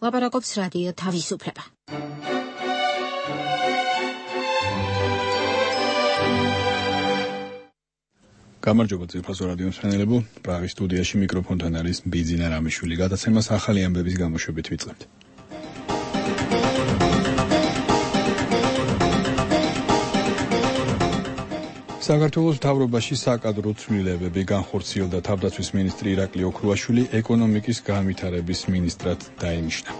ლაპარაკობს რადიო თავისუფლება. გამარჯობა ძვირფასო რადიო მსმენელებო, პრაღის სტუდიაში მიკროფონთან არის ბიძინა რამიშვილი. გადაცემას ახალი ამბების გამოშვებით ვიწყებთ. საქართველოს მთავრობაში საკადრო ცვლილებები განხორციელდა. თავდაცვის მინისტრი ირაკლი ოქრუაშვილი ეკონომიკის განვითარების მინისტრად დაინიშნა.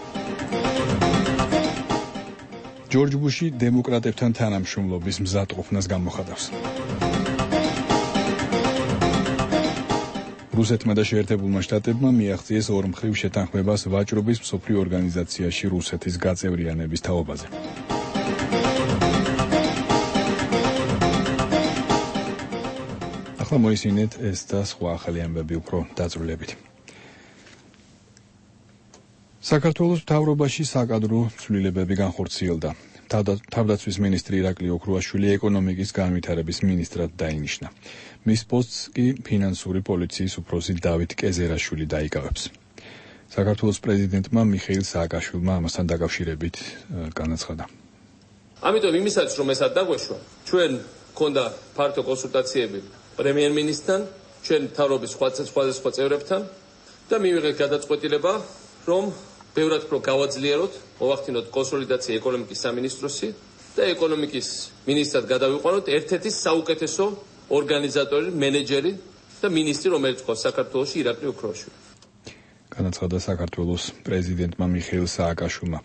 ჯორჯ ბუში დემოკრატებთან თანამშრომლობის მზადყოფნას გამოხატავს. რუსეთმა და შეერთებულმა შტატებმა მიაღწიეს ორმხრივ შეთანხმებას ვაჭრობის მსოფლიო ორგანიზაციაში რუსეთის გაწევრიანების თაობაზე. ახლა მოისმინეთ ეს და სხვა ახალი ამბები უფრო დაწვრილებით. საქართველოს მთავრობაში საკადრო ცვლილებები განხორციელდა. თავდაცვის მინისტრი ირაკლი ოქრუაშვილი ეკონომიკის განვითარების მინისტრად დაინიშნა. მის პოსტს კი ფინანსური პოლიციის უფროსი დავით კეზერაშვილი დაიკავებს. საქართველოს პრეზიდენტმა მიხეილ სააკაშვილმა ამასთან დაკავშირებით განაცხადა. ამიტომ იმისაც რომ ესად დაგვეშვა, ჩვენ გქონდა ფართო კონსულტაციები პრემიერ-მინისტრთან, ჩვენ მთავრობის სხვადასხვა წევრებთან და მივიღეთ გადაწყვეტილება, რომ ბევრად უფრო გავაძლიეროთ, მოვახდინოთ კონსოლიდაცია ეკონომიკის სამინისტროსი და ეკონომიკის მინისტრად გადავიყვანოთ ერთ-ერთი საუკეთესო ორგანიზატორი, მენეჯერი და მინისტრი, რომელიც ყავს საქართველოში ირაკლი ოქრუაშვილი. განაცხადა საქართველოს პრეზიდენტმა მიხეილ სააკაშვილმა.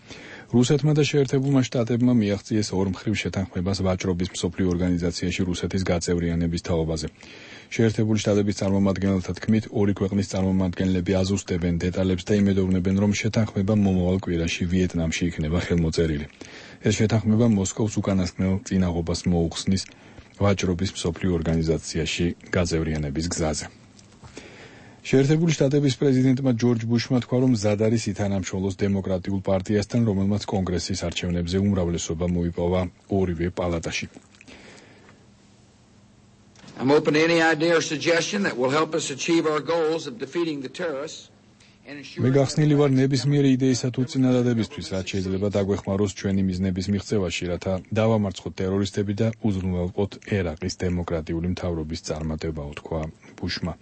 რუსეთმა და შეერთებულმა შტატებმა მიაღწიეს ორმხრივ შეთანხმებას ვაჭრობის მსოფლიო ორგანიზაციაში რუსეთის გაწევრიანების თაობაზე. შეერთებული შტატების წარმომადგენელთა თქმით, ორი ქვეყნის წარმომადგენლები აზუსტებენ დეტალებს და იმედოვნებენ, რომ შეთანხმება მომავალ კვირაში ვიეტნამში იქნება ხელმოწერილი. ეს შეთანხმება მოსკოვს უკანასკნელ წინაღობას მოუხსნის ვაჭრობის მსოფლიო ორგანიზაციაში გაწევრიანების გზაზე. შეერთებული შტატების პრეზიდენტმა ჯორჯ ბუშმა თქვა, რომ მზად არის ითანამშრომლოს დემოკრატიულ პარტიასთან, რომელმაც კონგრესის არჩევნებზე უმრავლესობა მოიპოვა ორივე პალატაში. I'm open to any idea or suggestion that will help us achieve our goals of defeating the terrorists. მე გახსნილი ვარ ნებისმიერი იდეისა თუ წინადადებისთვის, რაც შეიძლება დაგვეხმაროს ჩვენი მიზნების მიღწევაში, რათა დავამარცხოთ ტერორისტები და უზრუნველყოთ ერაყის დემოკრატიული მთავრობის წარმატება, უთქვა ბუშმა.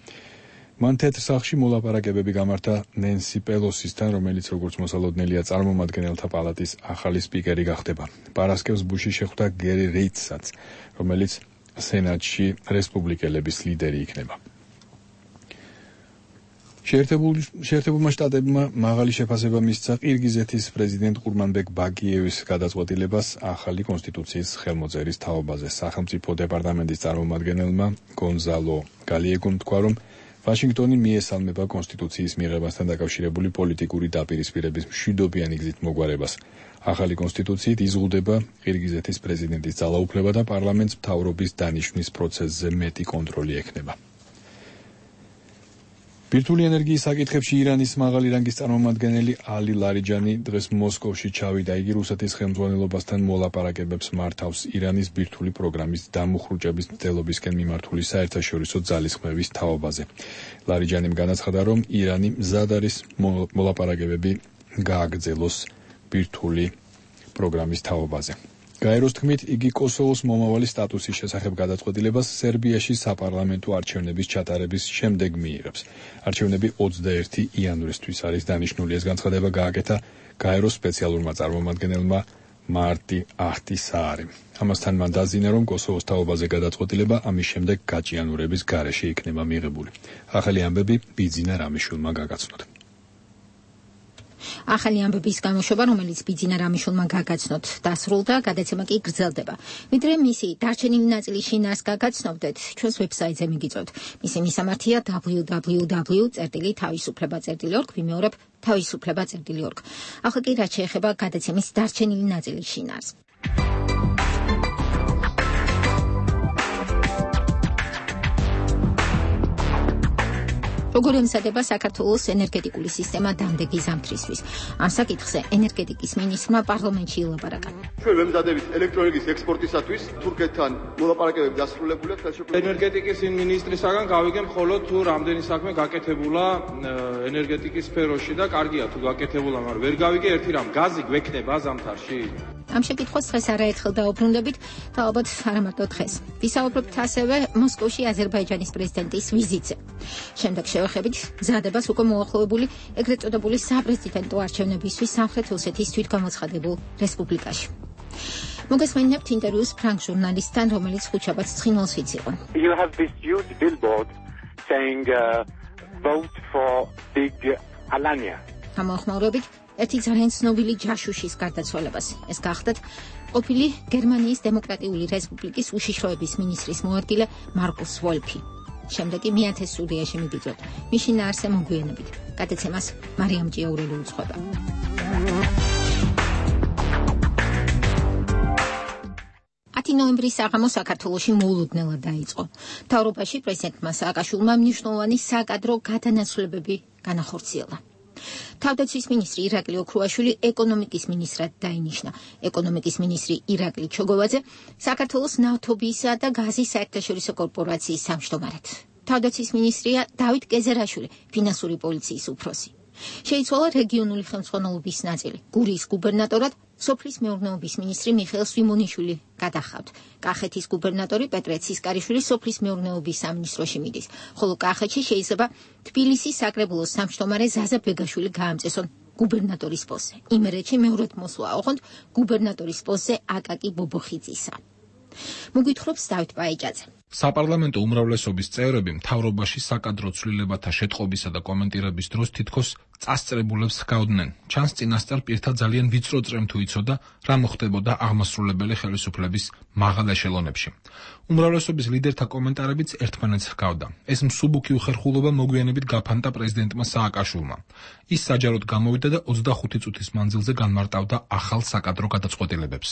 მან თეთრ სახლში მოლაპარაკებები გამართა ნენსი პელოსისთან, რომელიც როგორც მოსალოდნელია წარმომადგენელთა პალატის ახალი სპიკერი გახდება. პარასკევს ბუში შეხვდა გერი რეიდსაც, რომელიც სენატში რესპუბლიკელების ლიდერი იქნება. შეერთებულმა შტატებმა მაღალი შეფასება მისცა ყირგიზეთის პრეზიდენტ ყურმანბეკ ბაკიევის გადაწყვეტილებას ახალი კონსტიტუციის ხელმოწერის თაობაზე. სახელმწიფო დეპარტამენტის წარმომადგენელმა გონზალო გალიეგომ თქვა, რომ ვაშინგტონი მიესალმება კონსტიტუციის მიღებასთან დაკავშირებული პოლიტიკური დაპირისპირების მშვიდობიანი გზით მოგვარებას. ახალი კონსტიტუციით იზღუდება ყირგიზეთის პრეზიდენტის ძალაუფლება და პარლამენტს მთავრობის დანიშვნის პროცესზე მეტი კონტროლი ექნება. ბირთვული ენერგიის საკითხებში ირანის მაღალი რანგის წარმომადგენელი ალი ლარიჯანი დღეს მოსკოვში ჩავიდა. იგი რუსეთის ხელმძღვანელობასთან მოლაპარაკებებს მართავს ირანის ბირთვული პროგრამის დამუხრუჭების მცდელობისკენ მიმართული საერთაშორისო ძალისხმევის თაობაზე. ლარიჯანიმ განაცხადა, რომ ირანი მზად არის მოლაპარაკებები გააგრძელოს ბირთვული პროგრამის თაობაზე. გაეროს თქმით, იგი კოსოვოს მომავალი სტატუსის შესახებ გადაწყვეტილებას სერბიაში საპარლამენტო არჩევნების ჩატარების შემდეგ მიიღებს. არჩევნები 21 იანვრისთვის არის დანიშნული. ეს განცხადება გააკეთა გაეროს სპეციალურმა წარმომადგენელმა მარტი აჰტისაარიმ. ამასთან მან დაზიანა, რომ კოსოვოს თაობაზე გადაწყვეტილება ამის შემდეგ გაჭიანურების გარეშე იქნება მიღებული. ახალი ამბები ბიძინა რამიშვილმა გაგაცნოთ. ახალი ამბების გამოშვება, რომელიც ბიძინა რამიშვილმა გაგაცნოთ, დასრულდა, გადაცემა კი გრძელდება. ვიდრე მისი დარჩენილი ნაწილი შინას გაგაცნობდეთ, ჩვენს ვებსაიტზე მიგიწევთ. მისი მისამართია www.თავისუფლება.org, ვიმეორებ თავისუფლება.org. ახლა კი რაც შეეხება გადაცემის დარჩენილი ნაწილი შინას. როგორ ემზადება საქართველოს ენერგეტიკული სისტემა დამდეგი ზამთრისთვის. ამ საკითხზე ენერგეტიკის მინისტრმა პარლამენტში ილაპარაკა. ჩვენ ვემზადებით ელექტროენერგიის ექსპორტისათვის თურქეთთან მოლაპარაკებები დასრულებულია. ენერგეტიკის მინისტრისაგან გავიგებ მხოლოდ თუ რამდენი საქმე გაკეთებულა ენერგეტიკის სფეროში და კარგია თუ გაკეთებულა, მაგრამ ვერ გავიგე ერთი რამ, გაზი გვექნება ზამთარში? ამ შეკითხვას დღეს არაერთხელ დაუბრუნდებით და ალბათ არა მარტო დღეს. ვისაუბრებთ ასევე მოსკოვში აზერბაიჯანის პრეზიდენტის ვიზიტზე. შემდეგ შევეხებით მზადებას უკვე მოახლოებული ეგრეთ წოდებული საპრეზიდენტო არჩევნებისთვის სამხრეთ ოსეთის თვითგამოცხადებულ რესპუბლიკაში. მოგესმენინებთ ინტერვიუს ფრანგ ჟურნალისტთან, რომელიც ხუთშაბათს ცხინვალს იციყო. You have this huge billboard saying vote for big Alanya. ამოხმაურებით ერთი ძალიან ცნობილი ჯაშუშის გარდაცვალებას. ეს გახდათ ყოფილი გერმანიის დემოკრატიული რესპუბლიკის უშიშროების მინისტრის მოადგილე მარკუს ვოლფი. შემდეგ კი მეათე სტუდიაში მიგიწვევთ. მის შინაარსზე მოგვიანებით. გადაცემას მარიამ ჭიაურელი უძღვება. ნოემბრის საღამო საქართველოში მოულოდნელად დაიწყო. მთავრობაში პრეზიდენტმა სააკაშვილმა მნიშვნელოვანი საკადრო გადანაცვლებები განახორციელა. თავდაცვის მინისტრი ირაკლი ოქრუაშვილი ეკონომიკის მინისტრად დაინიშნა. ეკონომიკის მინისტრი ირაკლი ჩოგოვაძე საქართველოს ნავთობისა და გაზის საერთაშორისო კორპორაციის სამშტომარედ. თავდაცვის მინისტრია დავით კეზერაშვილი, ფინანსური პოლიციის უფროსი. შეიცვალა რეგიონული ხელმძღვანელობის ნაწილი. გურიის გუბერნატორად სოფლის მეურნეობის მინისტრი მიხეილ სვიმონიშვილი გადახავთ. კახეთის გუბერნატორი პეტრე ცისკარიშვილი სოფლის მეურნეობის სამინისტროში მიდის, ხოლო კახეთში შეიძლება თბილისის საკრებულოს სამშტომარე ზაზა ბეგაშვილი გაამწესონ გუბერნატორის პოსტზე. იმერეთში მეორედ მოსვლა ოღონდ გუბერნატორის პოსტზე აკაკი ბობოხიძისა. მოგვითხრობს დავით პაიჭაძე. საპარლამენტო უმრავლესობის წევრები მთავრობაში საკადრო ცვლილებათა შეტყობისა და კომენტირების დროს თითქოს წასწრებულებს ჰგავდნენ. ჩანს წინასწარ პირთა ძალიან ვიწრო წრემ თუ იცოდა, რა მოხდებოდა აღმასრულებელი ხელისუფლების მაღალ ეშელონებში. უმრავლესობის ლიდერთა კომენტარებიც ერთმანეთს ჰგავდა. ეს მსუბუქი უხერხულობა მოგვიანებით გაფანტა პრეზიდენტმა სააკაშვილმა. ის საჯაროდ გამოვიდა და 25 წუთის მანძილზე განმარტავდა ახალ საკადრო გადაწყვეტილებებს.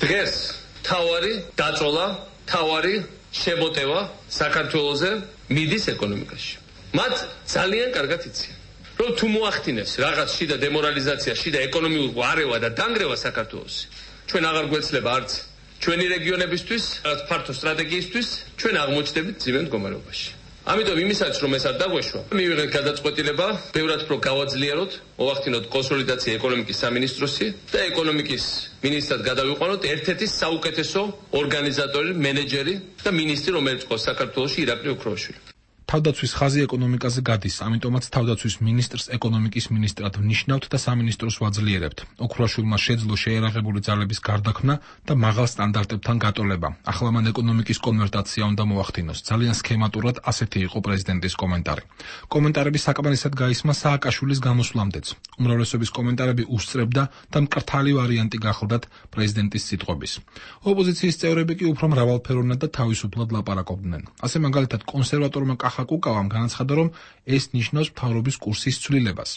დღეს თავარი დაწოლა, თავარი შემოტევა საქართველოზე მიდის ეკონომიკაში. მათ ძალიან კარგად იციან, რომ თუ მოახდინებს რაღაც შიდა დემორალიზაცია, შიდა ეკონომიურ არევა და დანგრევა საქართველოში, ჩვენ აღარ გვეცლება არც ჩვენი რეგიონებისთვის, რაღაც ფართო სტრატეგიისთვის, ჩვენ აღმოჩნდებით ძიმე მდგომარეობაში. ამიტომ იმისაც რომ ეს არ დაგვეშვა, მივიღეთ გადაწყვეტილება, ბევრად უფრო გავაძლიეროთ, მოვახდინოთ კონსოლიდაცია ეკონომიკის სამინისტროსი და ეკონომიკის მინისტრად გადავიყვანოთ ერთ-ერთი საუკეთესო ორგანიზატორი, მენეჯერი და მინისტრი, რომელიც ყავს საქართველოში ირაკლი ოქრუაშვილი. თავდაცვის ხაზი ეკონომიკაზე გადის, ამიტომაც თავდაცვის მინისტრს ეკონომიკის მინისტრად ვნიშნავთ და სამინისტროს ვაძლიერებთ. ოქრუაშვილმა შეძლო შეერაღებული ძალების გარდაქმნა და მაღალ სტანდარტებთან გატოლება. ახლა მან ეკონომიკის კონვერტაცია უნდა მოახდინოს. ძალიან სქემატურად ასეთი იყო პრეზიდენტის კომენტარი. კომენტარები საკმარისად გაისმა სააკაშვილის გამოსვლამდეც. უმრავლესობის კომენტარები უსწრებდა და მკრთალი ვარიანტი გახლდათ პრეზიდენტის სიტყვების. ოპოზიციის წევრები კი უფრო მრავალფეროვნად და თავისუფლად ლაპარაკობდნენ. ასე მაგალითად კონსერვატორმა კუკავამ განაცხადა, რომ ეს ნიშნავს მთავრობის კურსის ცვლილებას.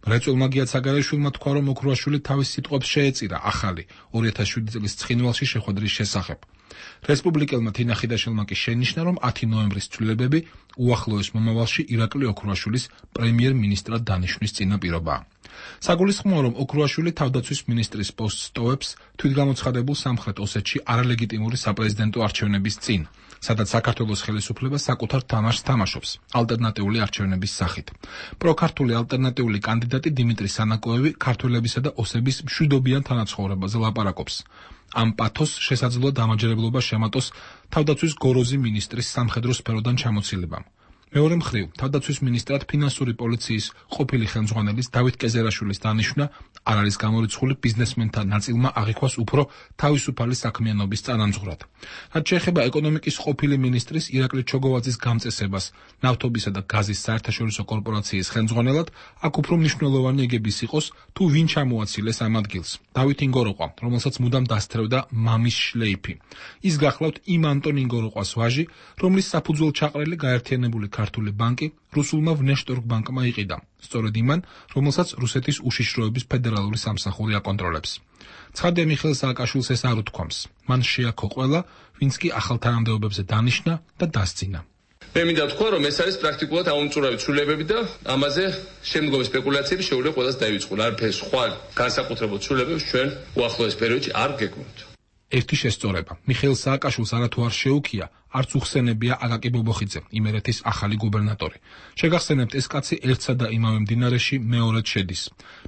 მრეწველმა გიათ საგარეშვილმა თქვა, რომ ოქრუაშვილი თავის სიტყვებს შეეწირა ახალი 2007 წლის ცხინვალში შეხვედრის შესახებ. რესპუბლიკელმა თინა ხიდაშელმა კი შენიშნა, რომ 10 ნოემბრის ცვლილებები უახლოეს მომავალში ირაკლი ოქრუაშვილის პრემიერ-მინისტრად დანიშვნის წინაპირობაა. საგულისხმოა, რომ ოქრუაშვილი თავდაცვის მინისტრის პოსტს ტოვებს თვითგამოცხადებულ სამხრეთ ოსეთში არალეგიტიმური საპრეზიდენტო არჩევნების წინ, სადაც საქართველოს ხელისუფლება საკუთარ თამაშს თამაშობს ალტერნატიული არჩევნების სახით. პროქართული ალტერნატიული კანდიდატი დიმიტრი სანაკოევი ქართველებისა და ოსების მშვიდობიან თანაცხოვრებაზე ლაპარაკობს. ამ პათოს შესაძლოა დამაჯერებლობა შემატოს თავდაცვის გოროზი მინისტრის სამხედრო სფეროდან ჩამოცილებამ. მეორე მხრივ, თავდაცვის მინისტრად ფინანსური პოლიციის ყოფილი ხელმძღვანელის დავით კეზერაშვილის დანიშვნა არ არის გამორიცხული ბიზნესმენთა ნაწილმა აღიქვას უფრო თავისუფალი საქმიანობის წანამძღვრად. რაც შეეხება ეკონომიკის ყოფილი მინისტრის ირაკლი ჩოგოვაძის გამწესებას ნავთობისა და გაზის საერთაშორისო კორპორაციის ხელმძღვანელად, აქ უფრო მნიშვნელოვანი ეგების იყოს, თუ ვინ ჩამოაცილეს ამ ადგილს. დავით ინგოროყვა, რომელსაც მუდამ დასთრევდა მამის შლეიფი. ის გახლავთ იმ ანტონ ინგოროყვას ვაჟი, რომლის საფუძველ ჩაყრელი გაერთიანებული ქართული ბანკი რუსულმა ვნეშტორგბანკმა იყიდა, სწორედ იმან, რომელსაც რუსეთის უშიშროების ფედერალური სამსახური აკონტროლებს. ცხადია მიხეილ სააკაშვილს ეს არ უთქვამს. მან შეაქო ყველა, ვინც კი ახალ თანამდებობებზე დანიშნა და დასძინა. მე მინდა თქვა, რომ ეს არის პრაქტიკულად აუმწურავი ცვლილებები და ამაზე შემდგომი სპეკულაციები შეუძლია ყველას დაივიწყოს. არაფერი სხვა განსაკუთრებულ ცვლილებებს ჩვენ უახლოეს პერიოდში არ გეკმოთ. ერთი შესწორება. მიხეილ სააკაშვილს არათუ არ შეუქია, არც უხსენებია აკაკი ბობოხიძე, იმერეთის ახალი გუბერნატორი. შეგახსენებთ, ეს კაცი ერთსა და იმავე მდინარეში მეორედ შედის.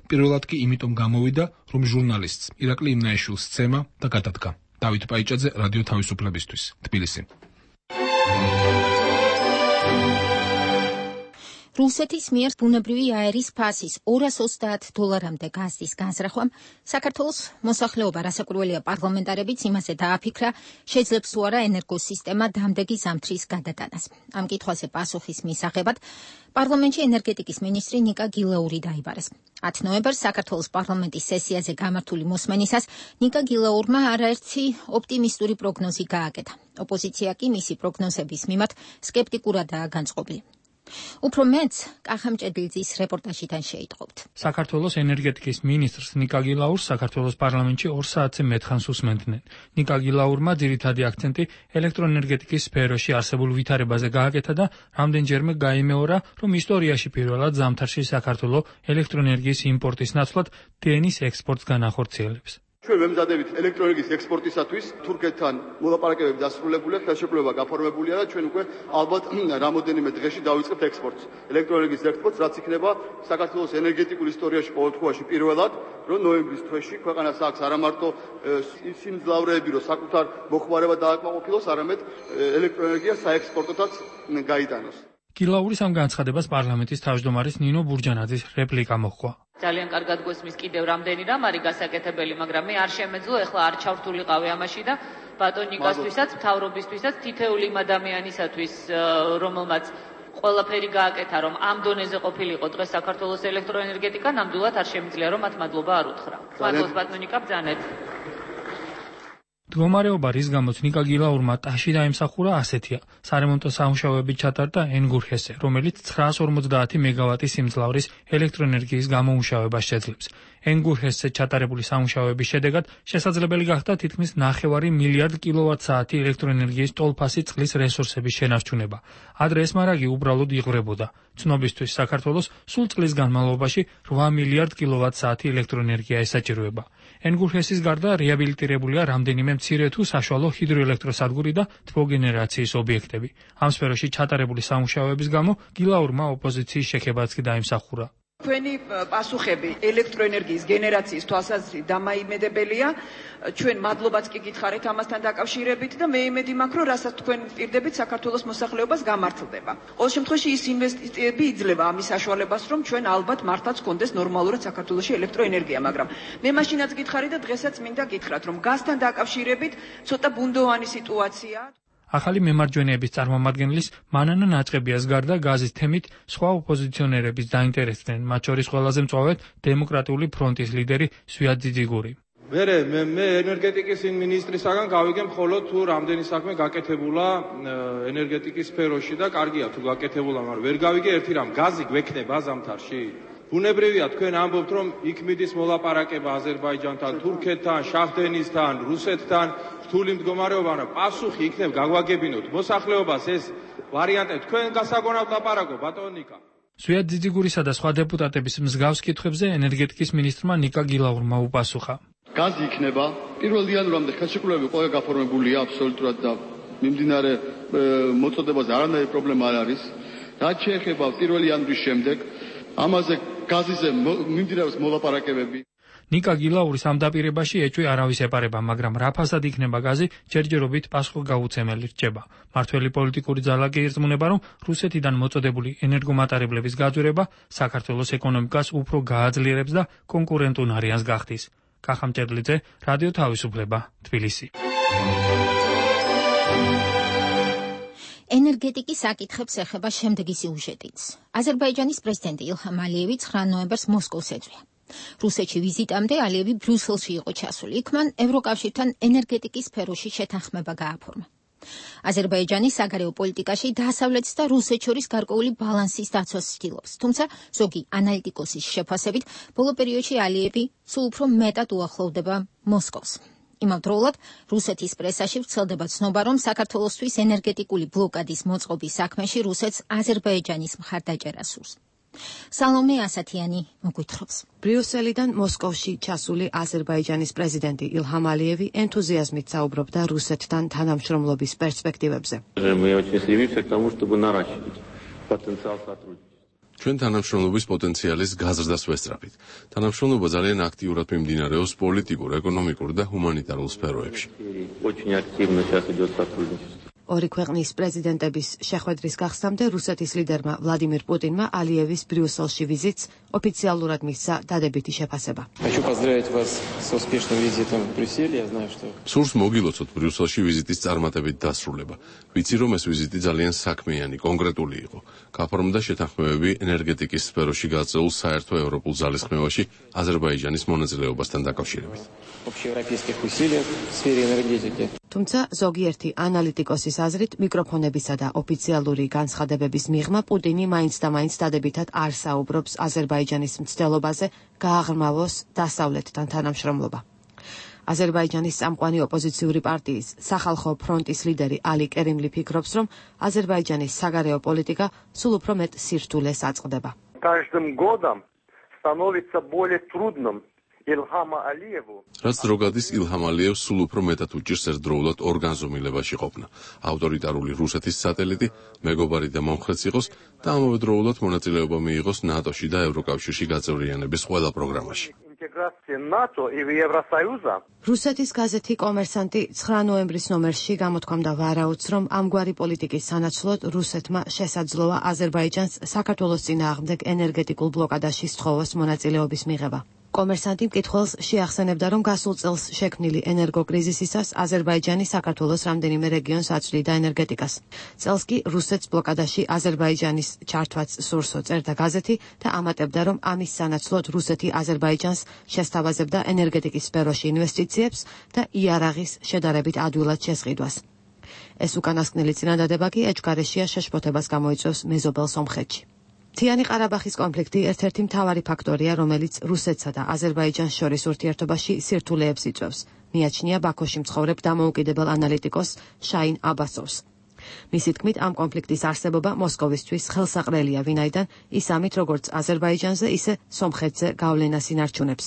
პირველად კი იმიტომ გამოვიდა, რომ ჟურნალისტს ირაკლი იმნაიშვილს სცემა და გადადგა. დავით პაიჭაძე, რადიო თავისუფლებისთვის, თბილისი. რუსეთის მიერ ბუნებრივი აერის ფასის $230-მდე გაზის განზრახვამ საქართველოს მოსახლეობა, რასაკვირველია პარლამენტარებიც იმაზე დააფიქრა, შეძლებს თუ არა ენერგოსისტემა დამდეგი ზამთრის გადატანას. ამ კითხვაზე პასუხის მისაღებად პარლამენტში ენერგეტიკის მინისტრი ნიკა გილაური დაიბარეს. 10 ნოემბერს საქართველოს პარლამენტის სესიაზე გამართული მოსმენისას ნიკა გილაურმა არაერთი ოპტიმისტური პროგნოზი გააკეთა. ოპოზიცია კი მისი პროგნოზების მიმართ სკეპტიკურადაა განწყობილი. უფრო მეც კახა მჭედლიძის რეპორტაჟიდან შეიტყობთ. საქართველოს ენერგეტიკის მინისტრს ნიკა გილაურს საქართველოს პარლამენტში 2 საათზე მეტხანს უსმენდნენ. ნიკა გილაურმა ძირითადი აქცენტი ელექტროენერგეტიკის სფეროში არსებულ ვითარებაზე გააკეთა და რამდენჯერმე გაიმეორა, რომ ისტორიაში პირველად ზამთარში საქართველოს ელექტროენერგიის იმპორტის ნაცვლად დენის ექსპორტს განახორციელებს. ჩვენ ვემზადებით ელექტროენერგიის ექსპორტისათვის თურქეთთან მოლაპარაკებები დასრულებულია, ხელშეკრულება გაფორმებულია და ჩვენ უკვე ალბათ რამოდენიმე დღეში დავიწყებთ ექსპორტს. ელექტროენერგიის ექსპორტს, რაც იქნება საქართველოს ენერგეტიკულ ისტორიაში ყოველდღიურში პირველად, რომ ნოემბრის თვეში ქვეყანას აქვს არა მარტო სიმძლავრეები, რომ საკუთარ მოხმარება დააკმაყოფილოს, არამედ ელექტროენერგია საექსპორტოდაც გაიტანოს. გილაურის ამ განცხადებას პარლამენტის თავმჯდომარის ნინო ბურჯანაძის რეპლიკა მოჰყვა. ძალიან კარგად გვესმის კიდევ რამდენი რამ არის გასაკეთებელი, მაგრამ მე არ შემეძლო, ეხლა არ ჩავრთულიყავი ამაში და ბატონიკასთვისაც, მთავრობისთვისაც, თითოეული იმ ადამიანისათვის, რომელმაც ყველაფერი გააკეთა, რომ ამ დონეზე ყოფილიყო დღეს საქართველოს ელექტროენერგეტიკა, ნამდვილად არ შემიძლია, რომ მათ მადლობა არ უთხრა. მადლობს ბატონიკა, ბრძანეთ. მდგომარეობა, რის გამოც ნიკა გილაურმა ტაში დაიმსახურა, ასეთია. სარემონტო სამუშაოები ჩატარდა ენგურჰესზე, რომელიც 950 მეგავატის სიმძლავრის ელექტროენერგიის გამომუშავებას შეძლებს. ენგურჰესზე ჩატარებული სამუშაოების შედეგად შესაძლებელი გახდა თითქმის 9 მილიარდ კილოვატ-საათი ელექტროენერგიის ტოლფასი წყლის რესურსების შენარჩუნება. ადრე ეს მარაგი უბრალოდ იღვრებოდა. ცნობისთვის, საქართველოს სულ წლის განმავლობაში 8 მილიარდ კილოვატ-საათი ელექტროენერგია ესაჭიროება. ენგურჰესის გარდა რეაბილიტირებულია რამდენიმე მცირე თუ საშუალო ჰიდროელექტროსადგური და თბოგენერაციის ობიექტები. ამ სფეროში ჩატარებული სამუშაოების გამო გილაურმა ოპოზიციის შექებაც კი დაიმსახურა. Თქვენი პასუხები ელექტროენერგიის გენერაციის თვალსაზრისით დამაიმედებელია. ჩვენ მადლობაც კი გითხარით ამასთან დაკავშირებით და მე იმედი მაქვს, რომ რასაც თქვენ პირდებით საქართველოს მოსახლეობას გამართლდება. ყოველ შემთხვევაში ის ინვესტიციები იძლევა ამის საშუალებას, რომ ჩვენ ალბათ მართლაც გქონდეს ნორმალურად საქართველოში ელექტროენერგია, მაგრამ მე მაშინაც გითხარით და დღესაც მინდა გითხრათ, რომ გაზთან დაკავშირებით ცოტა ბუნდოვანი სიტუაციაა. ახალი მემარჯვენეების წარმომადგენლის მანანა ნაჭყებიას გარდა გაზის თემით სხვა ოპოზიციონერებიც დაინტერესდნენ, მათ შორის ყველაზე მწვავედ დემოკრატიული ფრონტის ლიდერი სვიად ძიძიგური. მე ენერგეტიკის მინისტრისაგან გავიგე მხოლოდ თუ რამდენი საქმე გაკეთებულა ენერგეტიკის სფეროში და კარგია თუ გაკეთებულა, მაგრამ ვერ გავიგე ერთი რამ, გაზი გვექნება ზამთარში? ბუნებრივია თქვენ ამბობთ, რომ იქ მიდის მოლაპარაკება აზერბაიჯანთან, თურქეთთან, შაჰდენისთან, რუსეთთან, რთული მდგომარეობა, პასუხი იქნებ გაგვაგებინოთ მოსახლეობას ეს ვარიანტი თქვენ გასაგონად ლაპარაკო ბატონიკა. სვიად ძიძიგურისა და სხვა დეპუტატების მსგავს კითხვებზე ენერგეტიკის მინისტრმა ნიკა გილაურმა უპასუხა. გაზი იქნება 1 იანვრამდე ხელშეკრულებები ყველა გაფორმებულია აბსოლუტურად და მიმდინარე მოწოდებაზე არანაირი პრობლემა არ არის. რაც შეეხება 1 იანვრის შემდეგ ამაზე გაზიზე მიმდინარეობს მოლაპარაკებები. ნიკა გილაურის ამ დაპირებაში ეჭვი არავის ეპარება, მაგრამ რა ფასად იქნება გაზი, ჯერჯერობით პასუხგაუცემელი რჩება. მართველი პოლიტიკური ძალა კი ირწმუნება, რომ რუსეთიდან მოწოდებული ენერგომატარებლების გაძვირება საქართველოს ეკონომიკას უფრო გააძლიერებს და კონკურენტულ არიანს გახდის. კახა მჭედლიძე, რადიო თავისუფლება, თბილისი. ენერგეტიკის საკითხებს ეხება შემდეგი სიუჟეტიც. აზერბაიჯანის პრეზიდენტი ილჰამ ალიევი 9 ნოემბერს მოსკოვს ეწვია. რუსეთში ვიზიტამდე ალიევი ბრიუსელში იყო ჩასული. იქ მან ევროკავშირთან ენერგეტიკის სფეროში შეთანხმება გააფორმა. აზერბაიჯანი საგარეო პოლიტიკაში დასავლეთს და რუსეთს შორის გარკვეული ბალანსის დაცვას ცდილობს. თუმცა ზოგი ანალიტიკოსის შეფასებით, ბოლო პერიოდში ალიევი სულ უფრო მეტად უახლოვდება მოსკოვს. იმავდროულად რუსეთის პრესაში ვრცელდება ცნობა, რომ საქართველოსთვის ენერგეტიკული ბლოკადის მოწყობის საქმეში რუსეთს აზერბაიჯანის მხარდაჭერა სურს. სალომე ასათიანი მოგვითხრობს. ბრიუსელიდან მოსკოვში ჩასული აზერბაიჯანის პრეზიდენტი ილჰამ ალიევი ენთუზიაზმით საუბრობდა რუსეთთან თანამშრომლობის პერსპექტივებზე. ჩვენ თანამშრომლობის პოტენციალის გაზრდას ვესწრაფით. თანამშრომლობა ძალიან აქტიურად მიმდინარეობს პოლიტიკურ, ეკონომიკურ და ჰუმანიტარულ სფეროებში. ორი ქვეყნის პრეზიდენტების შეხვედრის გახსნამდე რუსეთის ლიდერმა ვლადიმირ პუტინმა ალიევის ბრიუსელში ვიზიტს ოფიციალურად მისცა დადებითი შეფასება. სურს მოგილოცოთ ბრიუსელში ვიზიტის წარმატებით დასრულება. ვიცი, რომ ეს ვიზიტი ძალიან საქმიანი, კონკრეტული იყო. გაფორმდა შეთანხმებები ენერგეტიკის სფეროში გაწეულ საერთო ევროპულ ძალისხმევაში აზერბაიჯანის მონაწილეობასთან დაკავშირებით. თუმცა ზოგიერთი ანალიტიკოსის აზრით მიკროფონებისა და ოფიციალური განცხადებების მიღმა პუტინი მაინც და მაინც დადებითად არ საუბრობს აზერბაიჯანის მცდელობაზე გააღრმავოს დასავლეთთან თანამშრომლობა. აზერბაიჯანის წამყვანი ოპოზიციური პარტიის სახალხო ფრონტის ლიდერი ალი კერიმლი ფიქრობს, რომ აზერბაიჯანის საგარეო პოლიტიკა სულ უფრო მეტ სირთულეს აწყდება. Каждым годом становится более трудным რაც დრო გადის ილჰამ ალიევს სულ უფრო მეტად უჭირს ერთდროულად ორგანზომილებაში ყოფნა. ავტორიტარული რუსეთის სატელიტი, მეგობარი და მომხრეც იყოს და ამავდროულად მონაწილეობა მიიღოს ნატოში და ევროკავშირში გაწევრიანების ყველა პროგრამაში. რუსეთის გაზეთი კომერსანტი 9 ნოემბრის ნომერში გამოთქვამდა ვარაუდს, რომ ამგვარი პოლიტიკის სანაცვლოდ რუსეთმა შესაძლოა აზერბაიჯანს საქართველოს წინააღმდეგ ენერგეტიკულ ბლოკადაში სთხოვოს მონაწილეობის მიღება. კომერსანტი მკითხველს შეახსენებდა, რომ გასულ წელს შექმნილი ენერგოკრიზისისას აზერბაიჯანი საქართველოს რამდენიმე რეგიონს აწვდიდა ენერგეტიკას. წელს კი რუსეთს ბლოკადაში აზერბაიჯანის ჩართვაც სურსო წერდა გაზეთი და ამატებდა, რომ ამის სანაცვლოდ რუსეთი აზერბაიჯანს შესთავაზებდა ენერგეტიკის სფეროში ინვესტიციებს და იარაღის შედარებით ადვილად შესყიდვას. ეს უკანასკნელი წინადადება კი ეჭვგარეშეა შეშფოთებას გამოიწვევს მეზობელ სომხეთში. მთიანი ყარაბაღის კონფლიქტი ერთ-ერთი მთავარი ფაქტორია, რომელიც რუსეთსა და აზერბაიჯანს შორის ურთიერთობაში სირთულეებს იწვევს. მიაჩნია ბაქოში მცხოვრებ დამოუკიდებელ ანალიტიკოს შაინ აბასოვს. მისი თქმით, ამ კონფლიქტის არსებობა მოსკოვისთვის ხელსაყრელია, ვინაიდან ის ამით როგორც აზერბაიჯანზე, ისე სომხეთზე გავლენას ინარჩუნებს.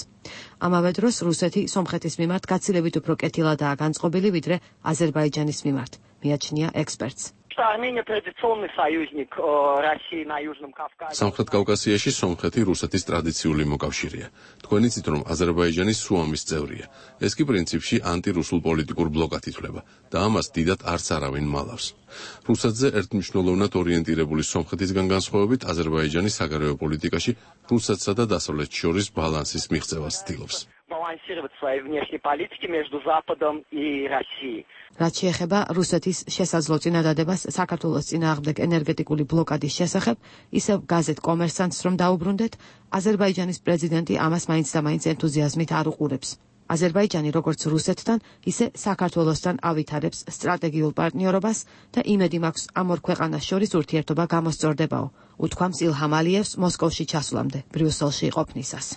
ამავე დროს რუსეთი სომხეთის მიმართ გაცილებით უფრო კეთილადაა განწყობილი, ვიდრე აზერბაიჯანის მიმართ, მიაჩნია ექსპერტს. სამხრეთ კავკასიაში სომხეთი რუსეთის ტრადიციული მოკავშირეა. თქვენ იცით, რომ აზერბაიჯანი სუამის წევრია. ეს კი პრინციპში ანტირუსულ პოლიტიკურ ბლოკად ითვლება და ამას დიდად არც არავინ მალავს. რუსეთზე ერთმნიშვნელოვნად ორიენტირებული სომხეთისგან განსხვავებით, აზერბაიჯანი საგარეო პოლიტიკაში რუსეთსა და დასავლეთს შორის ბალანსის მიღწევას ცდილობს. რაც შეეხება რუსეთის შესაძლო წინადადებას საქართველოს წინააღმდეგ ენერგეტიკული ბლოკადის შესახებ, ისევ გაზეთ კომერსანტს რომ დაუბრუნდეთ, აზერბაიჯანის პრეზიდენტი ამას მაინც და მაინც ენთუზიაზმით არ უყურებს. აზერბაიჯანი როგორც რუსეთთან, ისე საქართველოსთან ავითარებს სტრატეგიულ პარტნიორობას და იმედი მაქვს ამ ორ ქვეყანას შორის ურთიერთობა გამოსწორდებაო, უთქვამს ილჰამ ალიევს მოსკოვში ჩასვლამდე, ბრიუსელში ყოფნისას.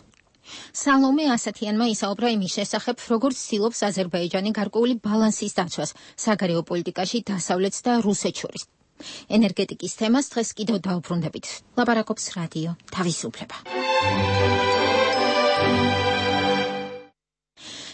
სალომე ასათიანმა ისაუბრა იმის შესახებ, როგორც ცდილობს აზერბაიჯანი გარკვეული ბალანსის დაცვას საგარეო პოლიტიკაში დასავლეთს და რუსეთს შორის. ენერგეტიკის თემას დღეს კიდევ დაუბრუნდებით. ლაპარაკობს რადიო თავისუფლება.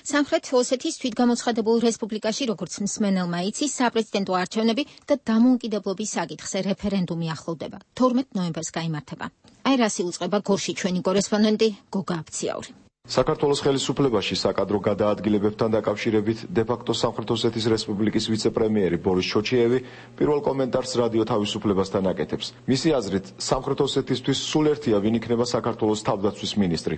სამხრეთ ოსეთის თვითგამოცხადებულ რესპუბლიკაში, როგორც მსმენელმა იცის, საპრეზიდენტო არჩევნები და დამოუკიდებლობის საკითხზე რეფერენდუმი ახლოვდება. 12 ნოემბერს გაიმართება. აი რას იუწყება გორში ჩვენი კორესპონდენტი გოგა აფციაური. საქართველოს ხელისუფლებაში საკადრო გადაადგილებებთან დაკავშირებით დე-ფაქტო სამხრეთ ოსეთის რესპუბლიკის ვიცე-პრემიერი ბორის ჩოჩიევი პირველ კომენტარს რადიო თავისუფლებასთან აკეთებს. მისი აზრით, სამხრეთ ოსეთისთვის სულ ერთია, ვინ იქნება საქართველოს თავდაცვის მინისტრი.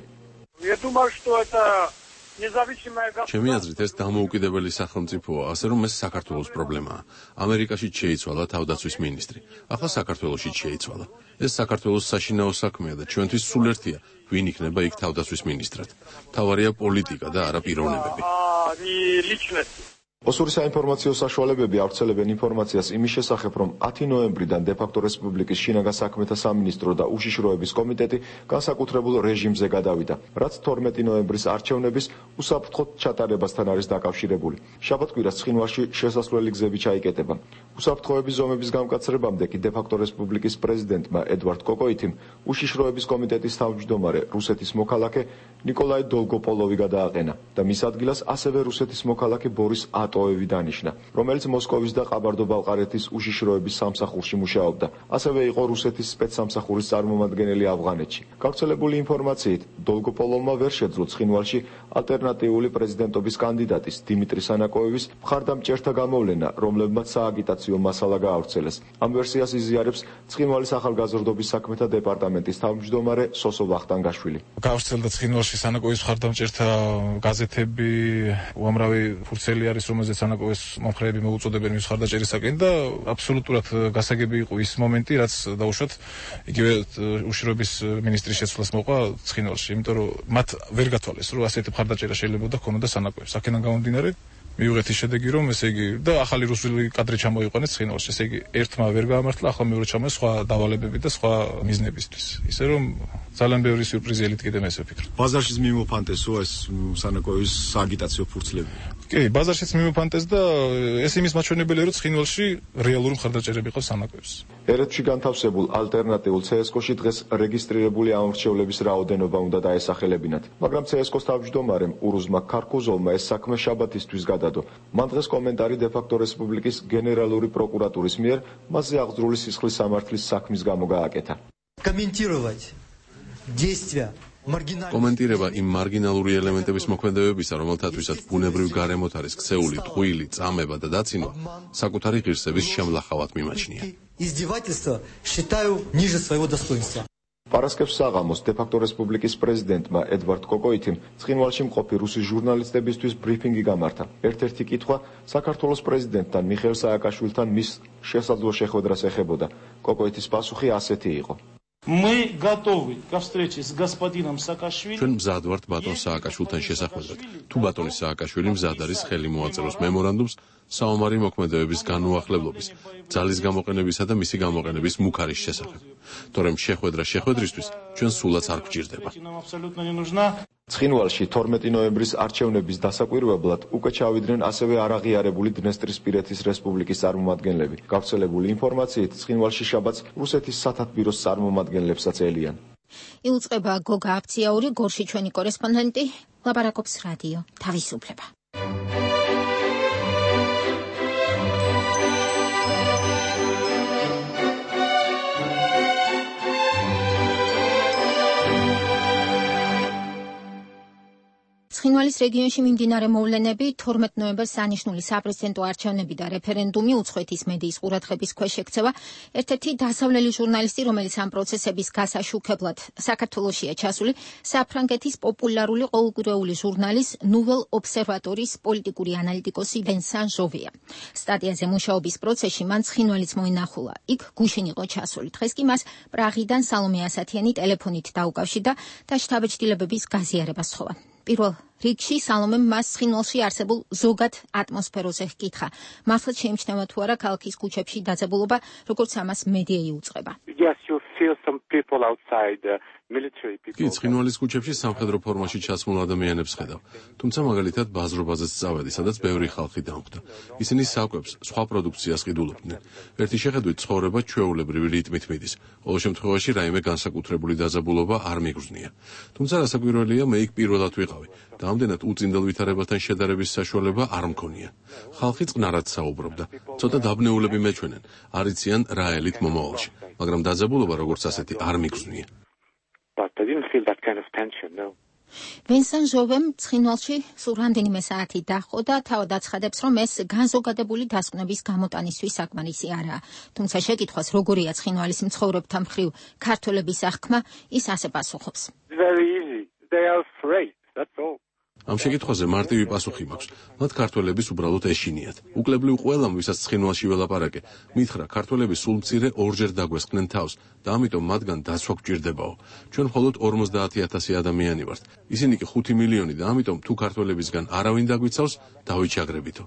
ჩემი აზრით, ეს დამოუკიდებელი სახელმწიფოა, ასე რომ ეს საქართველოს პრობლემაა. ამერიკაში შეიცვალა თავდაცვის მინისტრი. ახლა საქართველოშიც შეიცვალა. ეს საქართველოს საშინაო საქმეა და ჩვენთვის სულ ერთია, ვინ იქნება იქ თავდაცვის მინისტრად. მთავარია პოლიტიკა და არა პიროვნებები. ოსური საინფორმაციო საშუალებები ავრცელებენ ინფორმაციას იმის შესახებ, რომ 10 ნოემბრიდან დე-ფაქტო რესპუბლიკის შინაგან საქმეთა სამინისტრო და უშიშროების კომიტეტი განსაკუთრებულ რეჟიმზე გადავიდა, რაც 12 ნოემბრის არჩევნების უსაფრთხოდ ჩატარებასთან არის დაკავშირებული. შაბათ-კვირას ცხინვალში შესასვლელი გზები ჩაიკეტება. უსაფრთხოების ზომების გამკაცრებამდე კი დე-ფაქტო რესპუბლიკის პრეზიდენტმა ედვარდ კოკოითიმ უშიშროების კომიტეტის თავმჯდომარე რუსეთის მოქალაქე ნიკოლაი დოლგოპოლოვი გადააყენა და მის ადგილას ასევე რუსეთის მოქალაქე ბორის ატოევი დანიშნა, რომელიც მოსკოვის და ყაბარდო-ბალყარეთის უშიშროების სამსახურში მუშაობდა. ასევე იყო რუსეთის სპეცსამსახურის წარმომადგენელი ავღანეთში. გავრცელებული ინფორმაციით, დოლგოპოლოვმა ვერ შეძლო ცხინვალში ალტერნატიული პრეზიდენტობის კანდიდატის დიმიტრი სანაკოევის მხარდამჭერთა გამოვლენა, რომლებმაც სააგიტაციო მასალა გაავრცელეს. ამ ვერსიას იზიარებს ცხინვალის ახალგაზრდობის საქმეთა დეპარტამენტის თავმჯდომარე სოსო ვახტანგაშვილი. გავრცელდა ცხინვალში სანაკოევის მხარდამჭერთა გაზეთები, უამრავი ფურცელი არის, რომელზეც სანაკოეს მომხრეები მოუწოდებენ მის მხარდაჭერისაკენ და აბსოლუტურად გასაგები იყო ის მომენტი, რაც დაუშვათ იგივე უშიშროების მინისტრის შეცვლას მოყვა ცხინვალში, იმიტომ რომ მათ ვერ გათვალეს, რომ ასეთი მხარდაჭერა შეიძლება და ქონოდა სანაკოებს. აქედან გამომდინარე მივიღეთ ის შედეგი, რომ ესე იგი და ახალი რუსული კადრი ჩამოიყვანეს ცხინვალში. ესე იგი ერთმა ვერ გაამართლა, ახლა მეორე ჩამოეს სხვა დავალებები და სხვა მიზნებისთვის. ისე რომ ძალიან ბევრი სიურპრიზი ელით კიდე მე ვფიქრობ. ბაზარშიც მიმოფანტესო ეს სანაკოევის სააგიტაციო ფურცლები. კი, ბაზარშიც მიმოფანტეს და ეს იმის მაჩვენებელია, რომ ცხინვალში რეალური მხარდაჭერები ყავს სანაკოებს. ერეთში განთავსებულ ალტერნატიულ CSGO-ში დღეს რეგისტრირებული ამორჩევლების რაოდენობა უნდა დაესახელებინათ, მაგრამ CSGO-ს თავმჯდომარემ ურუზმა ქარკუზოვმა ეს საქმე შაბათისთვის გადადო. მან დღეს კომენტარი დე-ფაქტო რესპუბლიკის გენერალური პროკურატურის მიერ მასზე აღძრული სისხლის სამართლის საქმის გამო გააკეთა. კომენტირება იმ მარგინალური ელემენტების მოქმედებებისა, რომელთათვისაც ბუნებრივ გარემოთ არის ქცეული, ტყუილი, წამება და დაცინვა, საკუთარი ღირსების შემლახავად მიმაჩნია. პარასკევს საღამოს დე-ფაქტო რესპუბლიკის პრეზიდენტმა ედვარდ კოკოითიმ ცხინვალში მყოფი რუსი ჟურნალისტებისთვის ბრიფინგი გამართა. ერთ-ერთი კითხვა საქართველოს პრეზიდენტთან მიხეილ სააკაშვილთან მის შესაძლო შეხვედრას ეხებოდა. კოკოითის პასუხი ასეთი იყო. Мы готовы к встрече с господином Саакашвили. ჩვენ მზად ვართ ბატონ სააკაშვილთან შესახვედრად. თუ ბატონი სააკაშვილი მზად არის ხელი მოაწეროს მემორანდუმს საომარი მოქმედებების განუახლებლობის, ძალის გამოყენებისა და მისი გამოყენების მუქარის შესახებ. თორემ შეხვედრა შეხვედრისთვის ჩვენ სულაც არ გვჭირდება. ცხინვალში 12 ნოემბრის არჩევნების დასაკვირვებლად უკვე ჩავიდნენ ასევე არაღიარებული დნესტრისპირეთის რესპუბლიკის წარმომადგენლები. გავრცელებული ინფორმაციით, ცხინვალში შაბათს რუსეთის სათათბიროს წარმომადგენლებსაც ელიან. იუწყება გოგა აფციაური, გორში ჩვენი კორესპონდენტი ლაპარაკობს რადიო თავისუფლება. ცხინვალის რეგიონში მიმდინარე მოვლენები, 12 ნოემბერს სანიშნული საპრეზიდენტო არჩევნები და რეფერენდუმი უცხოეთის მედიის ყურადღების ქვეშ ექცევა. ერთ-ერთი დასავლელი ჟურნალისტი, რომელიც ამ პროცესების გასაშუქებლად საქართველოშია ჩასული, საფრანგეთის პოპულარული ყოველკვირეული ჟურნალის ნუվել ობსერვატორის პოლიტიკური ანალიტიკოსი ვენსან ჟოვია. სტატიაზე მუშაობის პროცესში მან ცხინვალიც მოინახულა. იქ გუშინ იყო ჩასული. დღეს კი მას პრაღიდან სალომე ასათიანი ტელეფონით დაუკავშირდა და შთაბეჭდილებების გაზიარებას სთხოვა. პირველ რიგში სალომემ მას ცხინვალში არსებულ ზოგად ატმოსფეროზე ჰკითხა. მართლაც შეიმჩნევა თუ არა ქალაქის ქუჩებში დაძაბულობა, როგორც ამას მედია იუწყება. Yes, you feel some people outside, military people. კი, ცხინვალის ქუჩებში სამხედრო ფორმაში ჩასმულ ადამიანებს ხედავ. თუმცა მაგალითად ბაზრობაზეც წავედი, სადაც ბევრი ხალხი დამკვდა. ისინი საკვებს, სხვა პროდუქციას ყიდულობდნენ. ერთი შეხედვით ცხოვრება ჩვეულებრივი რიტმით მიდის. ყოველ შემთხვევაში რაიმე განსაკუთრებული დაძაბულობა არ მიგრძნია. თუმცა რასაკვირველია, მე იქ პირველად ვიყავი. და ამდენად უწინდელ ვითარებასთან შედარების საშუალება არ მქონია. ხალხი წყნარად საუბრობდა. ცოტა დაბნეულები მეჩვენენ. არ იციან რა ელით მომავალში, მაგრამ დაძაბულობა როგორც ასეთი არ მიგრძნია. But I didn't feel that kind of tension, no. ვენსან ჟოვემ ცხინვალში სულ რამდენიმე საათი დაჰყო და თავად აცხადებს, რომ ეს განზოგადებული დასკვნების გამოტანისთვის საკმარისი არაა. თუმცა შეკითხვას, როგორია ცხინვალის მცხოვრებთა მხრივ ქართველების აღქმა, ის ასე პასუხობს. Very easy. They are afraid. That's all. ამ შეკითხვაზე მარტივი პასუხი მაქვს. მათ ქართველების უბრალოდ ეშინიათ. უკლებლივ ყველამ, ვისაც ცხინვალში ველაპარაკე, მითხრა, ქართველები სულ მცირე ორჯერ დაგვესხნენ თავს და ამიტომ მათგან დაცვა გვჭირდებაო. ჩვენ მხოლოდ 50,000 ადამიანი ვართ. ისინი კი 5 მილიონი და ამიტომ თუ ქართველებისგან არავინ დაგვიცავს, დავიჩაგრებითო.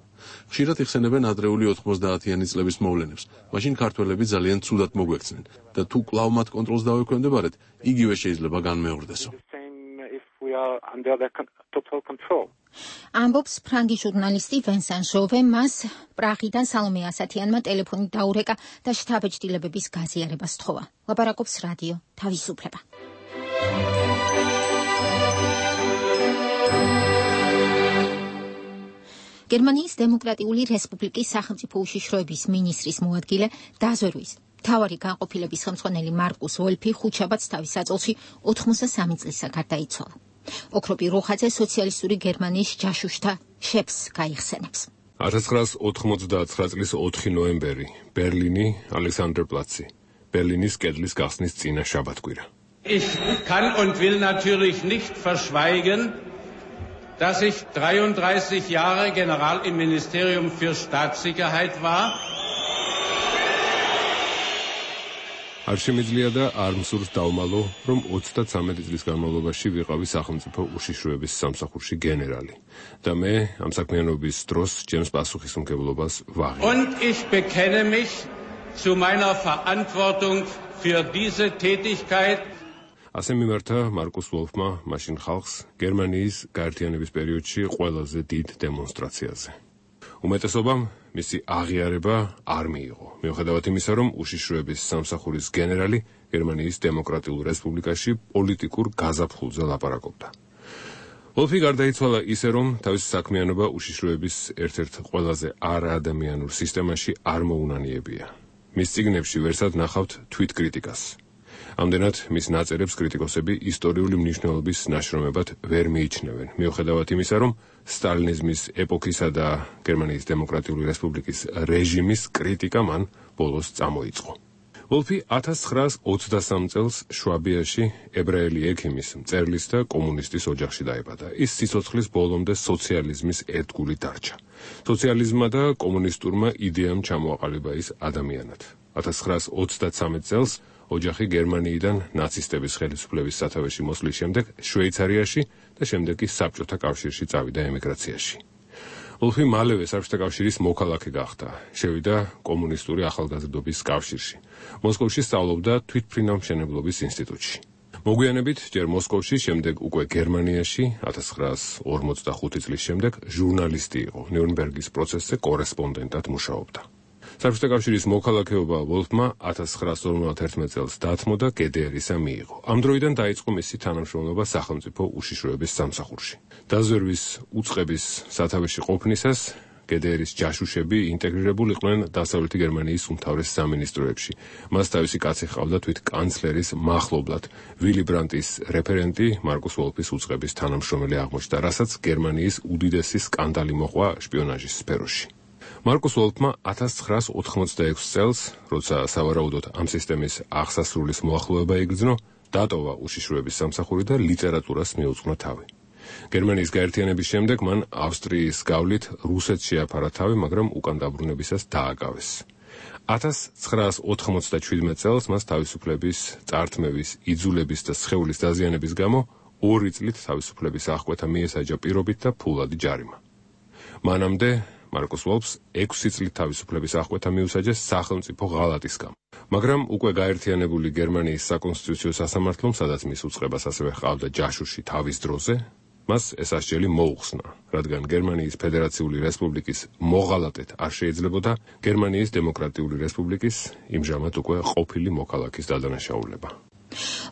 ხშირად იხსენებენ ადრეული 90-იანი წლების მოვლენებს. მაშინ ქართველები ძალიან ცუდად მოგვექცნენ და თუ კვლავ მათ კონტროლს დავექვემდებარეთ, იგივე შეიძლება განმეორდესო. ამბობს ფრანგი ჟურნალისტი ვენსან ჟოვე, მას პრაღიდან სალომე ასათიანმა ტელეფონით დაურეკა და შთაბეჭდილებების გაზიარებას სთხოვა. ლაპარაკობს რადიო თავისუფლება. გერმანიის დემოკრატიული რესპუბლიკის სახელმწიფო უშიშროების მინისტრის მოადგილე დაზვერვის მთავარი განყოფილების ხელმძღვანელი მარკუს ვოლფი ხუთშაბათს თავის საწოლში 83 წლისა გარდაიცვალა. ოქროპი როხაძე სოციალისტური გერმანიის ჯაშუშთა შეფს გაიხსენებს. 1989 წლის 4 ნოემბერი, ბერლინი, ალექსანდერპლაცი, ბერლინის კედლის გახსნის წინა შაბათკვირა. Ich kann und will natürlich nicht verschweigen, dass ich 33 Jahre General im Ministerium für Staatssicherheit war. არ შემიძლია და არ მსურს დავმალო, რომ 33 წლის განმავლობაში ვიყავი სახელმწიფო უშიშროების სამსახურში გენერალი და მე ამ საქმიანობის დროს ჩემს პასუხისმგებლობას ვაღებ. Und ich bekenne mich zu meiner Verantwortung für diese Tätigkeit. ასე მიმართა მარკუს ვოლფმა მაშინ ხალხს გერმანიის გაერთიანების პერიოდში ყველაზე დიდ დემონსტრაციაზე. უმეტესობამ მისი აღიარება არ მიიღო, მიუხედავად იმისა, რომ უშიშროების სამსახურის გენერალი გერმანიის დემოკრატიულ რესპუბლიკაში პოლიტიკურ გაზაფხულზე ლაპარაკობდა. ვოლფი გარდაიცვალა ისე, რომ თავისი საქმიანობა უშიშროების ერთ-ერთ ყველაზე არაადამიანურ სისტემაში არ მოუნანიებია. მის წიგნებში ვერსად ნახავთ თვითკრიტიკას. ამდენად მის ნაწერებს კრიტიკოსები ისტორიული მნიშვნელობის ნაშრომებად ვერ მიიჩნევენ, მიუხედავად იმისა, რომ სტალინიზმის ეპოქისა და გერმანიის დემოკრატიული რესპუბლიკის რეჟიმის კრიტიკა მან ბოლოს წამოიწყო. ვოლფი 1923 წელს შვაბიაში ებრაელი ექიმის, მწერლის და კომუნისტის ოჯახში დაიბადა. ის სიცოცხლის ბოლომდე სოციალიზმის ერთგული დარჩა. სოციალიზმმა და კომუნისტურმა იდეამ ჩამოაყალიბა ის ადამიანად. 1933 წელს ოჯახი გერმანიიდან ნაცისტების ხელისუფლების სათავეში მოსვლის შემდეგ შვეიცარიაში და შემდეგ კი საბჭოთა კავშირში წავიდა ემიგრაციაში. ვოლფი მალევე საბჭოთა კავშირის მოქალაქე გახდა. შევიდა კომუნისტური ახალგაზრდობის კავშირში. მოსკოვში სწავლობდა თვითმფრინავმშენებლობის ინსტიტუტში. მოგვიანებით ჯერ მოსკოვში, შემდეგ უკვე გერმანიაში 1945 წლის შემდეგ ჟურნალისტი იყო. ნიურნბერგის პროცესზე კორესპონდენტად მუშაობდა. საბჭოთა კავშირის მოქალაქეობა ვოლფმა 1951 წელს დათმო და GDR-ისა მიიღო. ამ დროიდან დაიწყო მისი თანამშრომლობა სახელმწიფო უშიშროების სამსახურში. დაზვერვის უწყების სათავეში ყოფნისას GDR-ის ჯაშუშები ინტეგრირებულიყვნენ დასავლეთი გერმანიის უმთავრეს სამინისტროებში. მას თავისი კაცი ჰყავდა თვით კანცლერის მახლობლად. ვილი ბრანდტის რეფერენტი მარკუს ვოლფის უწყების თანამშრომელი აღმოჩნდა, რასაც გერმანიის უდიდესი სკანდალი მოყვა შპიონაჟის სფეროში. მარკუს ვოლფმა 1986 წელს, როცა სავარაუდოდ ამ სისტემის აღსასრულის მოახლოება იგრძნო, დატოვა უშიშროების სამსახური და ლიტერატურას მიუძღვნა თავი. გერმანიის გაერთიანების შემდეგ მან ავსტრიის გავლით რუსეთში აფარა თავი, მაგრამ უკან დაბრუნებისას დააკავეს. 1997 წელს მას თავისუფლების, წართმევის, იძულების და სხეულის დაზიანების გამო 2 წლით თავისუფლების აღკვეთა მიესაჯა პირობით და ფულადი ჯარიმა. მანამდე მარკუს ვოლფს 6 წლით თავისუფლების აღკვეთა მიუსაჯეს სახელმწიფო ღალატის გამო. მაგრამ უკვე გაერთიანებული გერმანიის საკონსტიტუციო სასამართლომ, სადაც მის უწყებას ასევე ჰყავდა ჯაშუში თავის დროზე, მას ეს ასჯელი მოუხსნა, რადგან გერმანიის ფედერაციული რესპუბლიკის მოღალატედ არ შეიძლებოდა გერმანიის დემოკრატიული რესპუბლიკის იმჟამად უკვე ყოფილი მოქალაქის დადანაშაულება.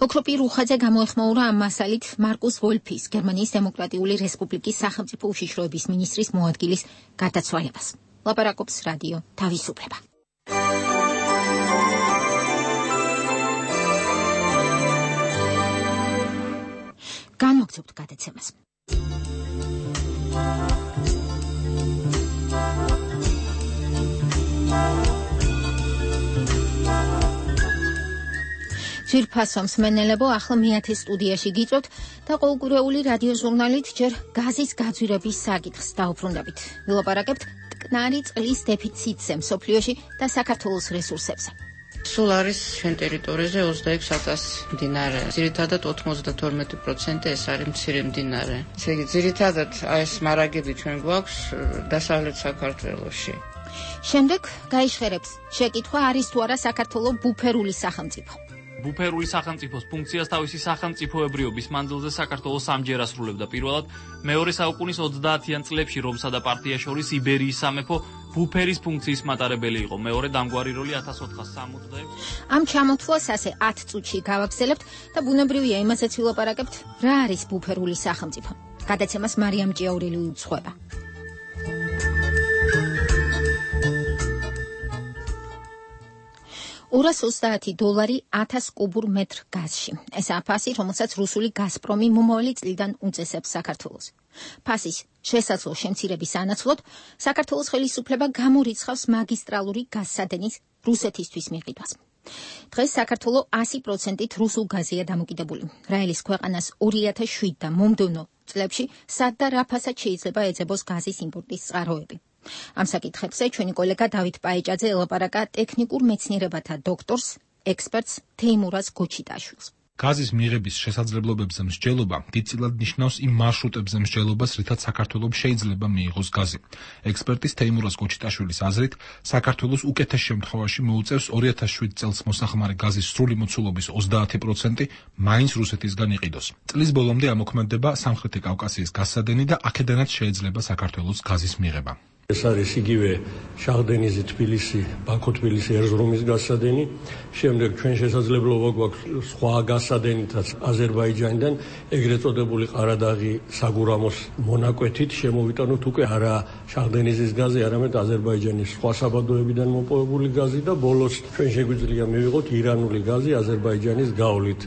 ოქროპი რუხაძე გამოეხმაურა ამ მასალით მარკუს ვოლფის, გერმანიის დემოკრატიული რესპუბლიკის სახელმწიფო უშიშროების მინისტრის მოადგილის გარდაცვალებას. ლაპარაკობს რადიო თავისუფლება. განვაგრძობთ გადაცემას. ძვირფასო მსმენელებო, ახლა მე-10 სტუდიაში გიწვევთ და ყოველკვირეული რადიო ჟურნალით ჯერ გაზის გაძვირების საკითხს დავუბრუნდებით. ვილაპარაკებთ მტკნარი წყლის დეფიციტზე მსოფლიოში და საქართველოს რესურსებზე. სულ არის ჩვენ ტერიტორიაზე 26,000 მდინარე. ძირითადად 92% ეს არის მცირე მდინარე. ესე იგი, ძირითადად ეს მარაგები ჩვენ გვაქვს დასავლეთ საქართველოში. შემდეგ გაიშხერებს შეკითხვა არის თუ არა საქართველოს ბუფერული სახელმწიფო. ბუფერული სახელმწიფოს ფუნქციას თავისი სახელმწიფოებრიობის მანძილზე საქართველოს ამჯერ ასრულებდა. პირველად მეორე საუკუნის 30-იან წლებში რომსა და პარტიას შორის იბერიის სამეფო ბუფერის ფუნქციის მატარებელი იყო. მეორე დამგვარი როლი 1466. ამ ჩამოთვლას ასე 10 წუთში გავაგზავნებთ და ბუნებრივია იმასაც ვილაპარაკებთ, რა არის ბუფერული სახელმწიფო. გადაცემას მარიამ ჭიაურელი უძღვება. $230 1000 კუბურ მეტრ გაზში. ესაა ფასი, რომელსაც რუსული გაზპრომი მომავალი წლიდან უწესებს საქართველოს. ფასის შესაძლო შემცირების ანაცვლოდ საქართველოს ხელისუფლება გამორიცხავს მაგისტრალური გაზსადენის რუსეთისთვის მიყიდვას. დღეს საქართველოს 100%-ით რუსულ გაზია დამოკიდებული. რაელის ქვეყანას 2007 და მომდევნო წლებში სად და რა ფასად შეიძლება ეძებოს გაზის იმპორტის წყაროები. ამ საკითხებზე ჩვენი კოლეგა დავით პაეჭაძე ელაპარაკა ტექნიკურ მეცნიერებათა დოქტორს, ექსპერტს თეიმურაზ გოჩიტაშვილს. გაზის მიღების შესაძლებლობებზე მსჯელობა დიდწილად ნიშნავს იმ მარშრუტებზე მსჯელობას, რითაც საქართველოს შეიძლება მიიღოს გაზი. ექსპერტის თეიმურაზ გოჩიტაშვილის აზრით, საქართველოს უკეთეს შემთხვევაში მოუწევს 2007 წელს მოსახმარი გაზის სრული მოცულობის 30% მაინც რუსეთისგან იყიდოს. წლის ბოლომდე ამოქმედება სამხრეთი კავკასიის გაზსადენი და აქედანაც შეიძლება საქართველოს გაზის მიღება. ეს არის იგივე შაღდენიზი თბილისი, ბაქო-თბილისი ერზრუმის გაზსადენი. შემდეგ ჩვენ შესაძლებლობა გვაქვს სხვა გაზსადენითაც აზერბაიჯანიდან ეგრეთ წოდებული ყარადაღი საგურამოს მონაკვეთით შემოვიტანოთ უკვე არა შაღდენიზის გაზი, არამედ აზერბაიჯანის სხვა საბადოებიდან მოპოვებული გაზი და ბოლოს ჩვენ შეგვიძლია მივიღოთ ირანული გაზი აზერბაიჯანის გავლით.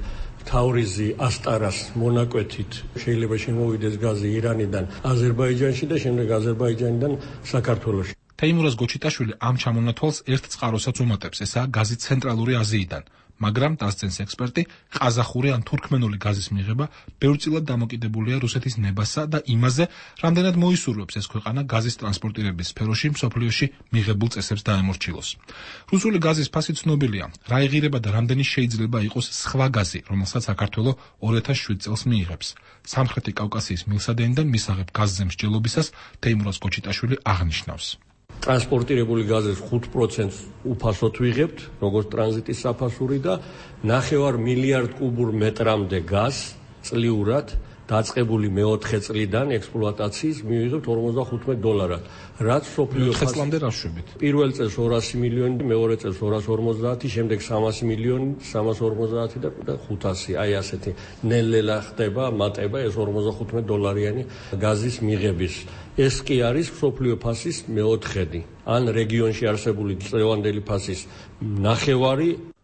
თავრიზი ასტარას მონაკვეთით შეიძლება შემოვიდეს გაზი ირანიდან აზერბაიჯანში და შემდეგ აზერბაიჯანიდან საქართველოში. თეიმურაზ გოჩიტაშვილი ამ ჩამონათვალს ერთ წყაროსაც უმატებს, ესაა გაზი ცენტრალური აზიიდან. მაგრამ დასცენს ექსპერტი, ყაზახური ან თურქმენული გაზის მიღება ბევრწილად დამოკიდებულია რუსეთის ნებასა და იმაზე, რამდენად მოისურვებს ეს ქვეყანა გაზის ტრანსპორტირების სფეროში მსოფლიოში მიღებულ წესებს დაემორჩილოს. რუსული გაზის ფასი ცნობილია, რა ეღირება და რამდენი შეიძლება იყოს სხვა გაზი, რომელსაც საქართველოს 2007 წელს მიიღებს. სამხრეთი კავკასიის მილსადენიდან მისაღებ გაზზე მსჯელობისას თეიმურაზ გოჩიტაშვილი აღნიშნავს. ტრანსპორტირებული გაზის 5% უფასოდ ვიღებთ, როგორც ტრანზიტის საფასური და 9 მილიარდ კუბურ მეტრამდე გაზს წლიურად დაწყებული მე-4 წლიდან ექსპლუატაციის მივიღებთ $45, რაც სოფლიო ხესლამდე რაშვებით. პირველ წელს 200 მილიონი, მეორე წელს 250, შემდეგ 300 მილიონი, 350 და 500. აი ასეთი ნელ-ნელა ხდება მატება ეს $45 გაზის მიღების. ეს კი არის სოფლიო ფასის მე-4, ან რეგიონში არსებული წლევანდელი ფასის 9.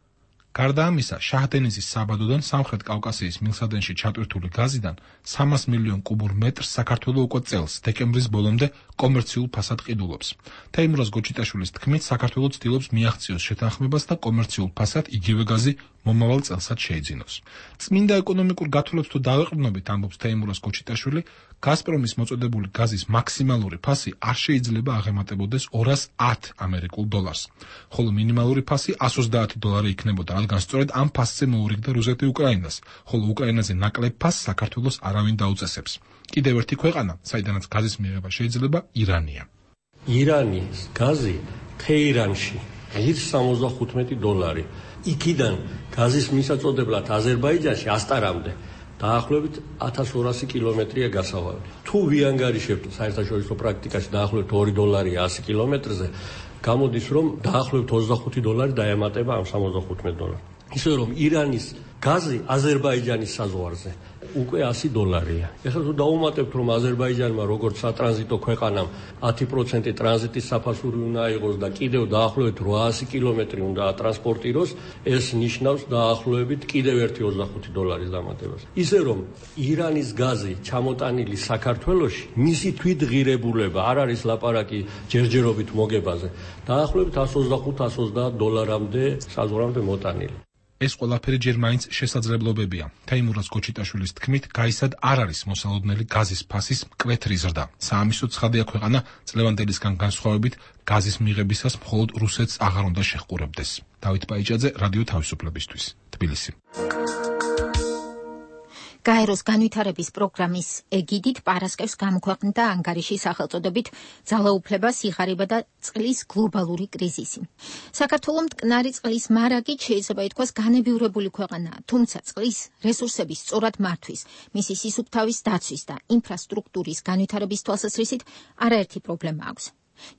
გარდა ამისა, შაჰდენიზის საბადოდან სამხრეთ კავკასიის მილსადენში ჩატვირთული გაზიდან 300 მილიონ კუბურ მეტრს საქართველოს უკვე წელს დეკემბრის ბოლომდე კომერციულ ფასად ყიდულობს. თეიმურაზ გოჩიტაშვილის თქმით, საქართველოს ცდილობს მიაღწიოს შეთანხმებას და კომერციულ ფასად იგივე გაზი მომავალ წელსაც შეიძინოს. წმინდა ეკონომიკურ გათვლებს თუ დავეყრდნობით, ამბობს თეიმურაზ გოჩიტაშვილი, გაზპრომის მოწოდებული გაზის მაქსიმალური ფასი არ შეიძლება აღემატებოდეს $210, ხოლო მინიმალური ფასი $130 იქნებოდა, რადგან სწორედ ამ ფასზე მოურიგდა რუსეთი უკრაინას, ხოლო უკრაინაზე ნაკლებ ფასს საქართველოს არავინ დაუწესებს. კიდევ ერთი ქვეყანა, საიდანაც გაზის მიღება შეიძლება, ირანია. ირანის გაზი თეირანში ღირს $75. იქიდან გაზის მისაწოდებლად აზერბაიჯანში ასტარამდე დაახლოებით 1200 კილომეტრია გასავალი. თუ ვიანგარიშებთ საერთაშორისო პრაქტიკაში დაახლოებით $2 100 კილომეტრზე, გამოდის რომ დაახლოებით $25 დაემატება ამ $75. ისე რომ ირანის გაზი აზერბაიჯანის საზღვარზე უკვე $100. ეხლა თუ დაუმატებთ, რომ აზერბაიჯანმა როგორც სატრანზიტო ქვეყანამ 10% ტრანზიტის საფასური უნდა აიღოს და კიდევ დაახლოებით 800 კილომეტრი უნდა ატრანსპორტიროს, ეს ნიშნავს დაახლოებით კიდევ ერთი $25 დამატებას. ისე რომ ირანის გაზი ჩამოტანილი საქართველოში, მისი თვითღირებულება არ არის ლაპარაკი ჯერჯერობით მოგებაზე, დაახლოებით $125-130 საზღვრამდე მოტანილი. ეს ყველაფერი ჯერ მაინც შესაძლებლობებია. თეიმურაზ გოჩიტაშვილის თქმით, გაისად არ არის მოსალოდნელი გაზის ფასის მკვეთრი ზრდა. საამისო ცხადია ქვეყანა წლევანდელისგან განსხვავებით გაზის მიღებისას მხოლოდ რუსეთს აღარ უნდა შეჰყურებდეს. დავით პაიჭაძე, რადიო თავისუფლებისთვის, თბილისი. გაეროს განვითარების პროგრამის ეგიდით პარასკევს გამოქვეყნდა ანგარიში სახელწოდებით ძალაუფლება, სიღარიბე და წყლის გლობალური კრიზისი. საქართველოს მტკნარი წყლის მარაგით შეიძლება ითქვას განებივრებული ქვეყანაა, თუმცა წყლის რესურსების სწორად მართვის, მისი სისუფთავის დაცვის და ინფრასტრუქტურის განვითარების თვალსაზრისით არაერთი პრობლემა აქვს.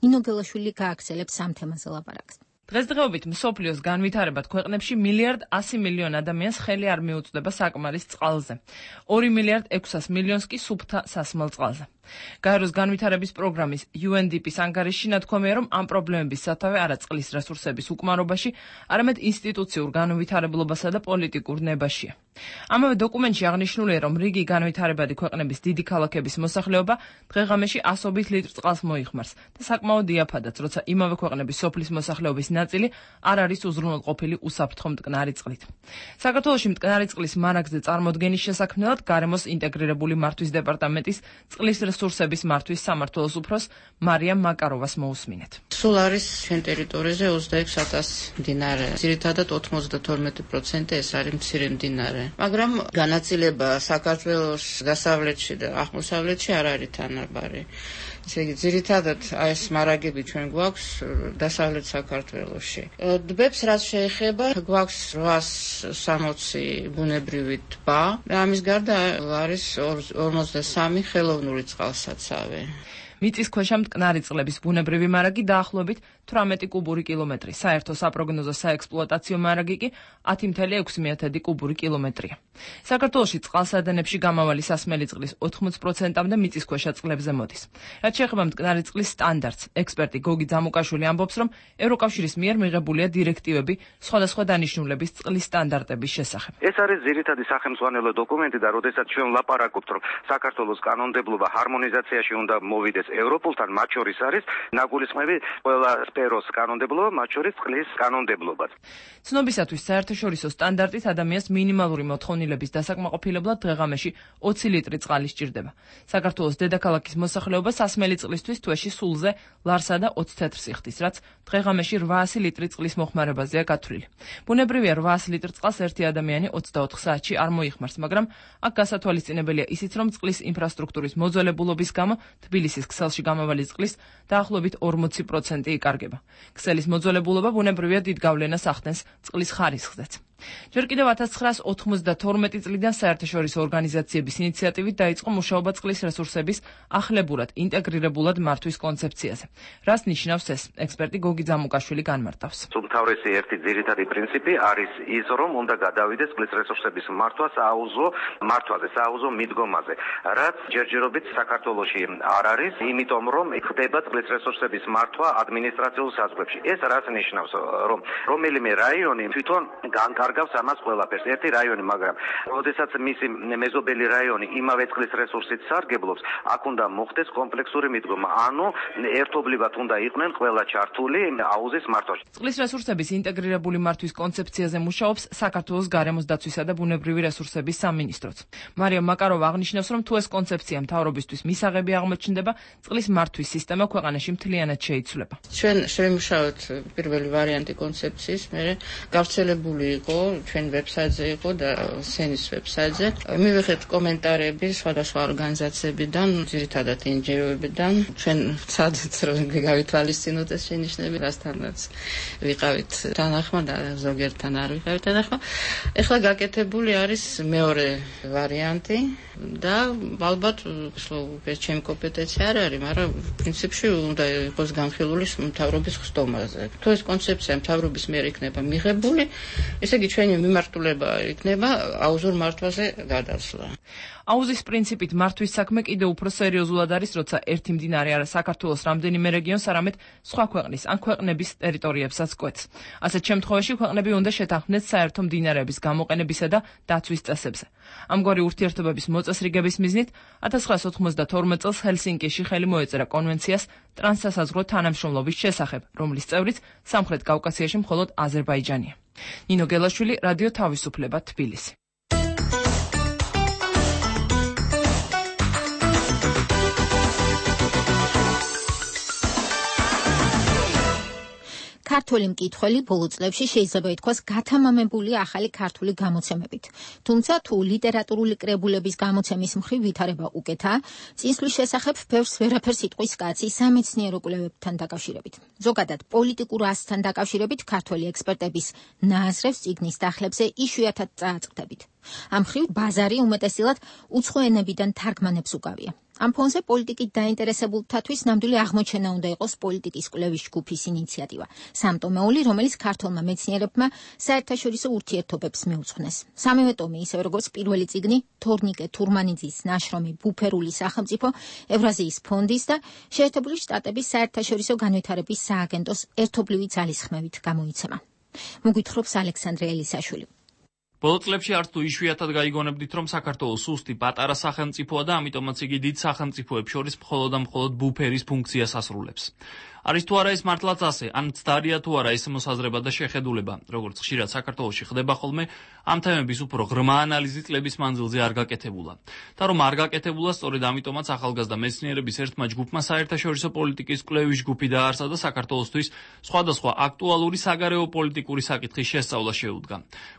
ნინო გელაშვილი გააგრძელებს ამ თემაზე ლაპარაკს. დღესდღეობით მსოფლიოს განვითარებად ქვეყნებში 1,1 მილიარდ ადამიანს ხელი არ მიუწვდება საკმარის წყალზე. 2,6 მილიარდს კი სუფთა სასმელ წყალზე. გაეროს განვითარების პროგრამის UNDP-ის ანგარიშში ნათქვამია, რომ ამ პრობლემების სათავე არა წყლის რესურსების უკმარობაში, არამედ ინსტიტუციურ განვითარებლობასა და პოლიტიკურ ნებაშია. ამავე დოკუმენტში აღნიშნულია, რომ რიგი განვითარებადი ქვეყნების დიდი ქალაქების მოსახლეობა დღე-ღამეში 100 ლიტრ წყალს მოიხმარს და საკმაოდ იაფადაც, როცა იმავე ქვეყნების სოფლის მოსახლეობის ნაწილი არ არის უზრუნველყოფილი უსაფრთხო მტკნარი წყლით. საქართველოში მტკნარი წყლის მარაგზე წარმოდგენის შესაქმნელად გარემოს ინტეგრირებული მართვის დეპარტამენტის წყლის რესურსების მართვის სამმართველოს უფროს მარიამ მაკაროვას მოусმინეთ. სულ არის ჩვენ ტერიტორიაზე 26,000 მდინარე. ძირითადად 92% ეს არის მცირე მდინარე. მაგრამ განაწილება საქართველოს დასავლეთში და აღმოსავლეთში არ არის თანაბარი. ესე იგი, ძირითადად ეს მარაგები ჩვენ გვაქვს დასავლეთ საქართველოში. ტბებს რაც შეეხება, გვაქვს 860 ბუნებრივი ტბა და ამის გარდა არის 53 ხელოვნური წყალსაცავი. მიწისქვეშა მტკნარი წყლების ბუნებრივი მარაგი დაახლოებით 18 კუბური კილომეტრი, საერთო საპროგნოზო საექსპლუატაციო მარაგი კი 10,6 კუბური კილომეტრია. საქართველოში წყალსადენებში გამავალი სასმელი წყლის 80%-მდე მიწისქვეშა წყლებზე მოდის. რაც შეეხება მტკნარი წყლის სტანდარტს, ექსპერტი გოგი ძამუკაშვილი ამბობს, რომ ევროკავშირის მიერ მიღებულია დირექტივები სხვადასხვა დანიშნულების წყლის სტანდარტების შესახებ. ეს არის ძირითადი სახელმძღვანელო დოკუმენტი და როდესაც ჩვენ ვლაპარაკობთ, რომ საქართველოს კანონმდებლობა ჰარმონიზაციაში უნდა მოვიდეს ევროპულთან, მათ შორის არის ნაგულისხმები ყველა სფეროს კანონმდებლობა, მათ შორის წყლის კანონმდებლობაც. ცნობისათვის საერთაშორისო სტანდარტით ადამიანს მინიმალური მოთხოვნილების დასაკმაყოფილებლად დღე-ღამეში 20 ლიტრი წყალი სჭირდება. საქართველოს დედაქალაქის მოსახლეობა სასმელი წყლისთვის თვეში სულზე ლარსა და 20 თეთრს იხდის, რაც დღე-ღამეში 800 ლიტრი წყლის მოხმარებაზეა გათვლილი. ბუნებრივია 800 ლიტრ წყალს ერთი ადამიანი 24 საათში არ მოიხმარს, მაგრამ აქ გასათვალისწინებელია ისიც, რომ წყლის ინფრასტრუქტურის მოძველებულობის გამო თბილისის ქსელში გამავალი წყლის დაახლოებით 40% იკარგება. ქსელის მოძველებულობა ბუნებრივია დიდ გავლენას ახდენს წყლის ხარისხზეც. ჯერ კიდევ 1992 წლიდან საერთაშორისო ორგანიზაციების ინიციატივით დაიწყო მუშაობა წყლის რესურსების ახლებურად, ინტეგრირებულად მართვის კონცეფციაზე. რას ნიშნავს ეს? ექსპერტი გოგი ძამუკაშვილი განმარტავს. უმთავრესი ერთი ძირითადი პრინციპი არის ის, რომ უნდა გადავიდეს წყლის რესურსების მართვა სააუზო მიდგომაზე, რაც ჯერჯერობით საქართველოში არ არის, იმიტომ რომ ხდება წყლის რესურსების მართვა ადმინისტრაციულ საზღვრებში. ეს რას ნიშნავს, რომ რომელიმე რაიონი თვითონ განკარგავს ამას ყველაფერს. ერთი რაიონი, მაგრამ როდესაც მისი მეზობელი რაიონი იმავე წყლის რესურსით სარგებლობს, აქ უნდა მოხდეს კომპლექსური მიდგომა. ანუ ერთობლივად უნდა იყვნენ ყველა ჩართული აუზის მართვაში. წყლის რესურსების ინტეგრირებული მართვის კონცეფციაზე მუშაობს საქართველოს გარემოს დაცვისა და ბუნებრივი რესურსების სამინისტროც. მარიამ მაკაროვა აღნიშნავს, რომ თუ ეს კონცეფცია მთავრობისთვის მისაღები აღმოჩნდება, წყლის მართვის სისტემა ქვეყანაში მთლიანად შეიცვლება. ჩვენ შევიმუშავეთ პირველი ვარიანტი კონცეფციის, მერე გავრცელებული იყო ჩვენ ვებსაიტზე იყო და სენის ვებსაიტზე. მივიღეთ კომენტარები სხვადასხვა ორგანიზაციებიდან, ძირითადად NGO-ებიდან. ჩვენ ვცადეთ, რომ გავითვალისწინოთ ეს შენიშვნები, რასთანაც ვიყავით თანახმა და ზოგიერთთან არ ვიყავით თანახმა. ეხლა გაკეთებული არის მეორე ვარიანტი და ალბათ ეს ჩემი კომპეტენცია არ არის, მაგრამ პრინციპში უნდა იყოს განხილული მთავრობის ხსდომაზე. თუ ეს კონცეფცია მთავრობის მიერ იქნება მიღებული, ესე იგი ჩვენი მიმართულება იქნება აუზურ მართვაზე გადასვლა. აუზის პრინციპით მართვის საქმე კიდევ უფრო სერიოზულად არის, როცა ერთი მდინარე არა საქართველოს რამდენიმე რეგიონს, არამედ სხვა ქვეყნის ან ქვეყნების ტერიტორიებსაც კვეთს. ასეთ შემთხვევაში ქვეყნები უნდა შეთანხმდნენ საერთო მდინარეების გამოყენებისა და დაცვის წესებზე. ამგვარი ურთიერთობების მოწესრიგების მიზნით 1992 წელს ჰელსინკიში ხელი მოეწერა კონვენციას ტრანსსაზღვრო თანამშრომლობის შესახებ, რომლის წევრიც სამხრეთ კავკასიაში მხოლოდ აზერბაიჯანია. ნინო გელაშვილი, რადიო თავისუფლება, თბილისი. ქართული მკითხველი ბოლო წლებში შეიძლება ითქვას გათამამებულია ახალი ქართული გამოცემებით. თუმცა თუ ლიტერატურული კრებულების გამოცემის მხრივ ვითარება უკეთაა, წინსვლის შესახებ ბევრს ვერაფერს იტყვის კაცი სამეცნიერო კვლევებთან დაკავშირებით. ზოგადად პოლიტიკურ ასთან დაკავშირებით ქართველი ექსპერტების ნააზრევს წიგნის დახლებზე იშვიათად წააწყდებით. ამ მხრივ ბაზარი უმეტესილად უცხო ენებიდან თარგმანებს უკავია. ამ ფონზე პოლიტიკით დაინტერესებულთათვის ნამდვილი აღმოჩენა უნდა იყოს პოლიტიკის კვლევის ჯგუფის ინიციატივა. სამტომეული, რომელიც ქართულმა მეცნიერებმა საერთაშორისო ურთიერთობებს მიუძღვნეს. სამივე ტომი, ისევე როგორც პირველი წიგნი, თორნიკე თურმანიძის ნაშრომი „ბუფერული სახელმწიფო“, ევრაზიის ფონდის და შეერთებული შტატების საერთაშორისო განვითარების სააგენტოს ერთობლივი ძალისხმევით გამოიცემა. მოგვითხრობს ალექსანდრე ელისაშვილი. ბოლო წლებში არც თუ იშვიათად გაიგონებდით, რომ საქართველოს სუსტი პატარა სახელმწიფოა და ამიტომაც იგი დიდ სახელმწიფოებს შორის მხოლოდ და მხოლოდ ბუფერის ფუნქციას ასრულებს. არის თუ არა ეს მართლაც ასე, ან ცდარია თუ არა ეს მოსაზრება და შეხედულება, როგორც ხშირად საქართველოში ხდება ხოლმე, ამ თემების უფრო ღრმა ანალიზი წლების მანძილზე არ გაკეთებულა. და რომ არ გაკეთებულა, სწორედ ამიტომაც ახალგაზრდა მეცნიერების ერთმა ჯგუფმა საერთაშორისო პოლიტიკის კვლევის ჯგუფი დაარსა და საქართველოსთვის სხვადასხვა აქტუალური საგარეო პოლიტიკური საკითხის შესწავლა შეუდგა.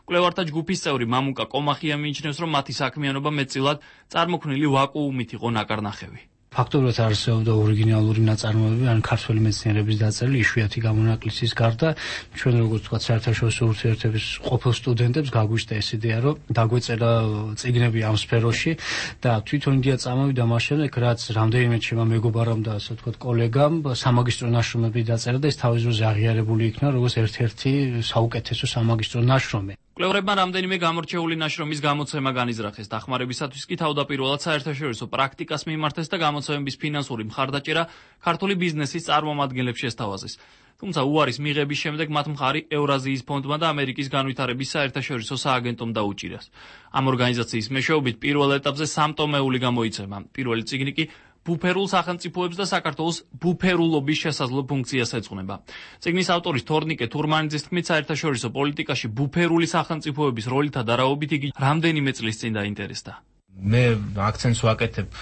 კვლევართა ჯგუფის წევრი მამუკა კომახია მიიჩნევს, რომ მათი საქმიანობა მეტწილად წარმოქმნილი ვაკუუმით იყო ნაკარნახევი. ფაქტობრივად არსებობდა ორიგინალური ნაწარმოებები, ან ქართველი მეცნიერების დაწერილი იშვიათი გამონაკლისის გარდა, ჩვენ როგორც ვთქვათ, საერთაშორისო ურთიერთობის ყოფილ სტუდენტებს გაგვიჩნდა ეს იდეა, რომ დაგვეწერა წიგნები ამ სფეროში და თვითონ იდეა წამოვიდა მას შემდეგ, რაც რამდენიმე ჩემმა მეგობარამ და ასე ვთქვათ, კოლეგამ სამაგისტრო ნაშრომები დაწერა და ეს თავის დროზე აღიარებული იქნა როგორც ერთ-ერთი საუკეთესო სამაგისტრო ნაშრომი. კვლევარებმა რამდენიმე გამორჩეული ნაშრომის გამოცემა განიზრახეს. დახმარებისათვის კი თავდაპირველად საერთაშორისო პრაქტიკას მიმართეს და გამოცემების ფინანსური მხარდაჭერა ქართული ბიზნესის წარმომადგენლებს შესთავაზეს. თუმცა უარის მიღების შემდეგ მათ მხარი ევრაზიის ფონდმა და ამერიკის განვითარების საერთაშორისო სააგენტომ დაუჭირეს. ამ ორგანიზაციის მეშვეობით პირველ ეტაპზე სამტომეული გამოიცემა. პირველი წიგნი კი ბუფერულ სახელმწიფოებს და საქართველოს ბუფერულობის შესაძლო ფუნქციას ეძღვნება. წიგნის ავტორის თორნიკე თურმანიძის თქმით, საერთაშორისო პოლიტიკაში ბუფერული სახელმწიფოების როლითა დარაობით იგი რამდენიმე წლის წინ დაინტერესდა. მე აქცენტს ვაკეთებ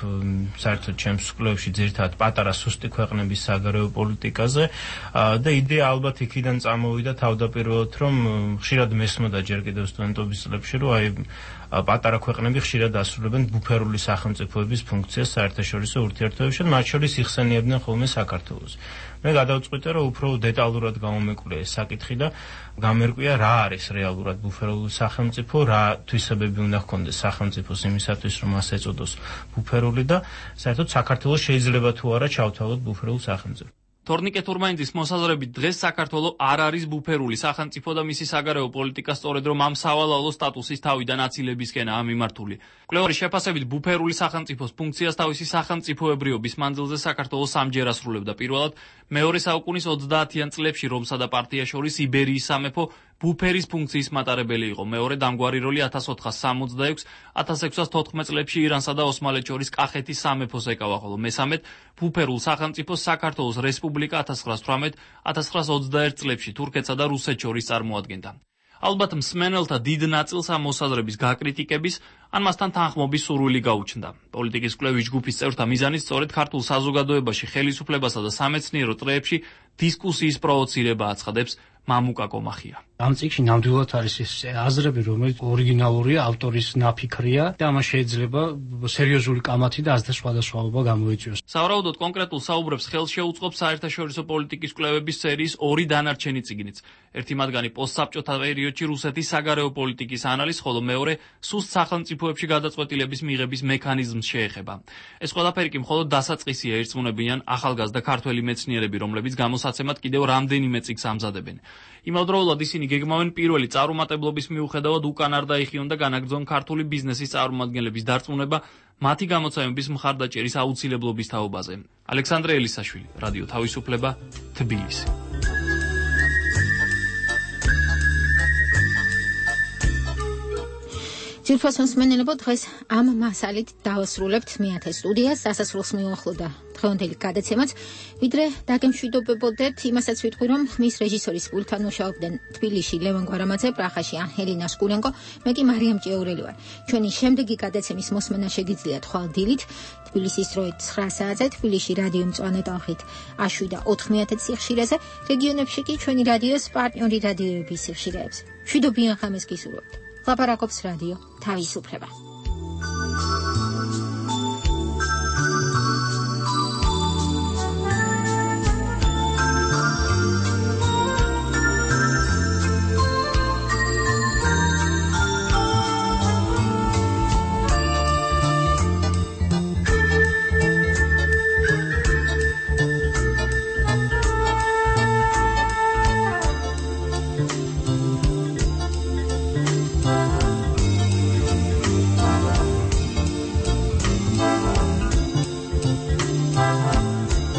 საერთოდ ჩემს კვლევებში ძირითადად პატარა სუსტი ქვეყნების საგარეო პოლიტიკაზე და იდეა ალბათ იქიდან წამოვიდა თავდაპირველად, რომ ხშირად მესმოდა ჯერ კიდევ სტუდენტობის წლებში, რომ აი პატარა ქვეყნები ხშირად ასრულებენ ბუფერული სახელმწიფოების ფუნქციას საერთაშორისო ურთიერთობებში, მათ შორის იხსენიებდნენ ხოლმე საქართველოს. მე გადავწყვიტე, რომ უფრო დეტალურად გამომეკვლიე ეს საკითხი და გამერკვია რა არის რეალურად ბუფერული სახელმწიფო, რა თვისებები უნდა ჰქონდეს სახელმწიფოს იმისათვის, რომ მას ეწოდოს ბუფერული და საერთოდ საქართველოს შეიძლება თუ არა ჩავთავოთ ბუფერულ სახელმწიფო. თორნიკე თურმანიძის მოსაზრებით დღეს საქართველო არ არის ბუფერული სახელმწიფო და მისი საგარეო პოლიტიკა სწორედ რომ ამ სავალალო სტატუსის თავიდან აცილებისკენაა მიმართული. კვლევარის შეფასებით ბუფერული სახელმწიფოს ფუნქციას თავისი სახელმწიფოებრიობის მანძილზე საქართველოს სამჯერ ასრულებდა. პირველად მეორე საუკუნის 30-იან წლებში რომსა და პარტიას შორის იბერიის სამეფო ბუფერის ფუნქციის მატარებელი იყო. მეორე დამგვარი როლი 1466-1614 წლებში ირანსა და ოსმალეთს შორის კახეთის სამეფოს ეკავა, ხოლო მესამედ ბუფერულ სახელმწიფოს საქართველოს რესპუბლიკა 1918-1921 წლებში თურქეთსა და რუსეთს შორის წარმოადგენდა. ალბათ მსმენელთა დიდ ნაწილს ამ მოსაზრების გაკრიტიკების, ან მასთან თანხმობის სურვილი გაუჩნდა. პოლიტიკის კვლევის ჯგუფის წევრთა მიზანით სწორედ ქართულ საზოგადოებაში ხელისუფლებასა და სამეცნიერო წრეებში დისკუსიის პროვოცირება აცხადებს მამუკა კომახია. ამ წიგნში ნამდვილად არის ეს აზრები, რომელიც ორიგინალურია, ავტორის ნაფიქრია და ამას შეიძლება სერიოზული კამათი და აზრთა სხვადასხვაობა გამოიწვიოს. სავარაუდოდ კონკრეტულ საუბრებს ხელს შეუწყობს საერთაშორისო პოლიტიკის კვლევების სერიის ორი დანარჩენი წიგნიც. ერთი მათგანი პოსტსაბჭოთა პერიოდში რუსეთის საგარეო პოლიტიკის ანალიზს, ხოლო მეორე სუსტ სახელმწიფოებში გადაწყვეტილების მიღების მექანიზმს შეეხება. ეს ყველაფერი კი მხოლოდ დასაწყისია, ერწმუნებიან ახალგაზრდა ქართველი მეცნიერები, რომლებიც გამოსაცემად კიდევ რამდენიმე წიგნს ამზადებენ. იმავდროულად ისინი გეგმავენ პირველი წარუმატებლობის მიუხედავად უკან არ დაიხიონ და განაგრძონ ქართული ბიზნესის წარმომადგენლების დარწმუნება მათი გამოცემების მხარდაჭერის აუცილებლობის თაობაზე. ალექსანდრე ელისაშვილი, რადიო თავისუფლება, თბილისი. ძირფას მსმენელებო, დღეს ამ მასალით დავასრულებთ მეათე სტუდიას. დასასრულს მიუახლოვდა დღევანდელი გადაცემაც, ვიდრე დაგემშვიდობებოდეთ, იმასაც ვიტყვი, რომ ხმის რეჟისორის პულტთან მუშაობდნენ თბილისში ლევან გვარამაძე, პრაღაში ჰელენა სკურენკო, მე კი მარიამ ჭეურელი ვარ. ჩვენი შემდეგი გადაცემის მოსმენა შეგიძლიათ ხვალ დილით, თბილისის დროით 9 საათზე, თბილისში რადიო მწვანე ტალღით 107.90 სიხშირეზე, რეგიონებში კი ჩვენი რადიოს პარტნიორი რადიოების სიხშირეებზე. მშვიდობიან ხამეს გისურვებთ. ლაპარაკობს რადიო თავისუფლება.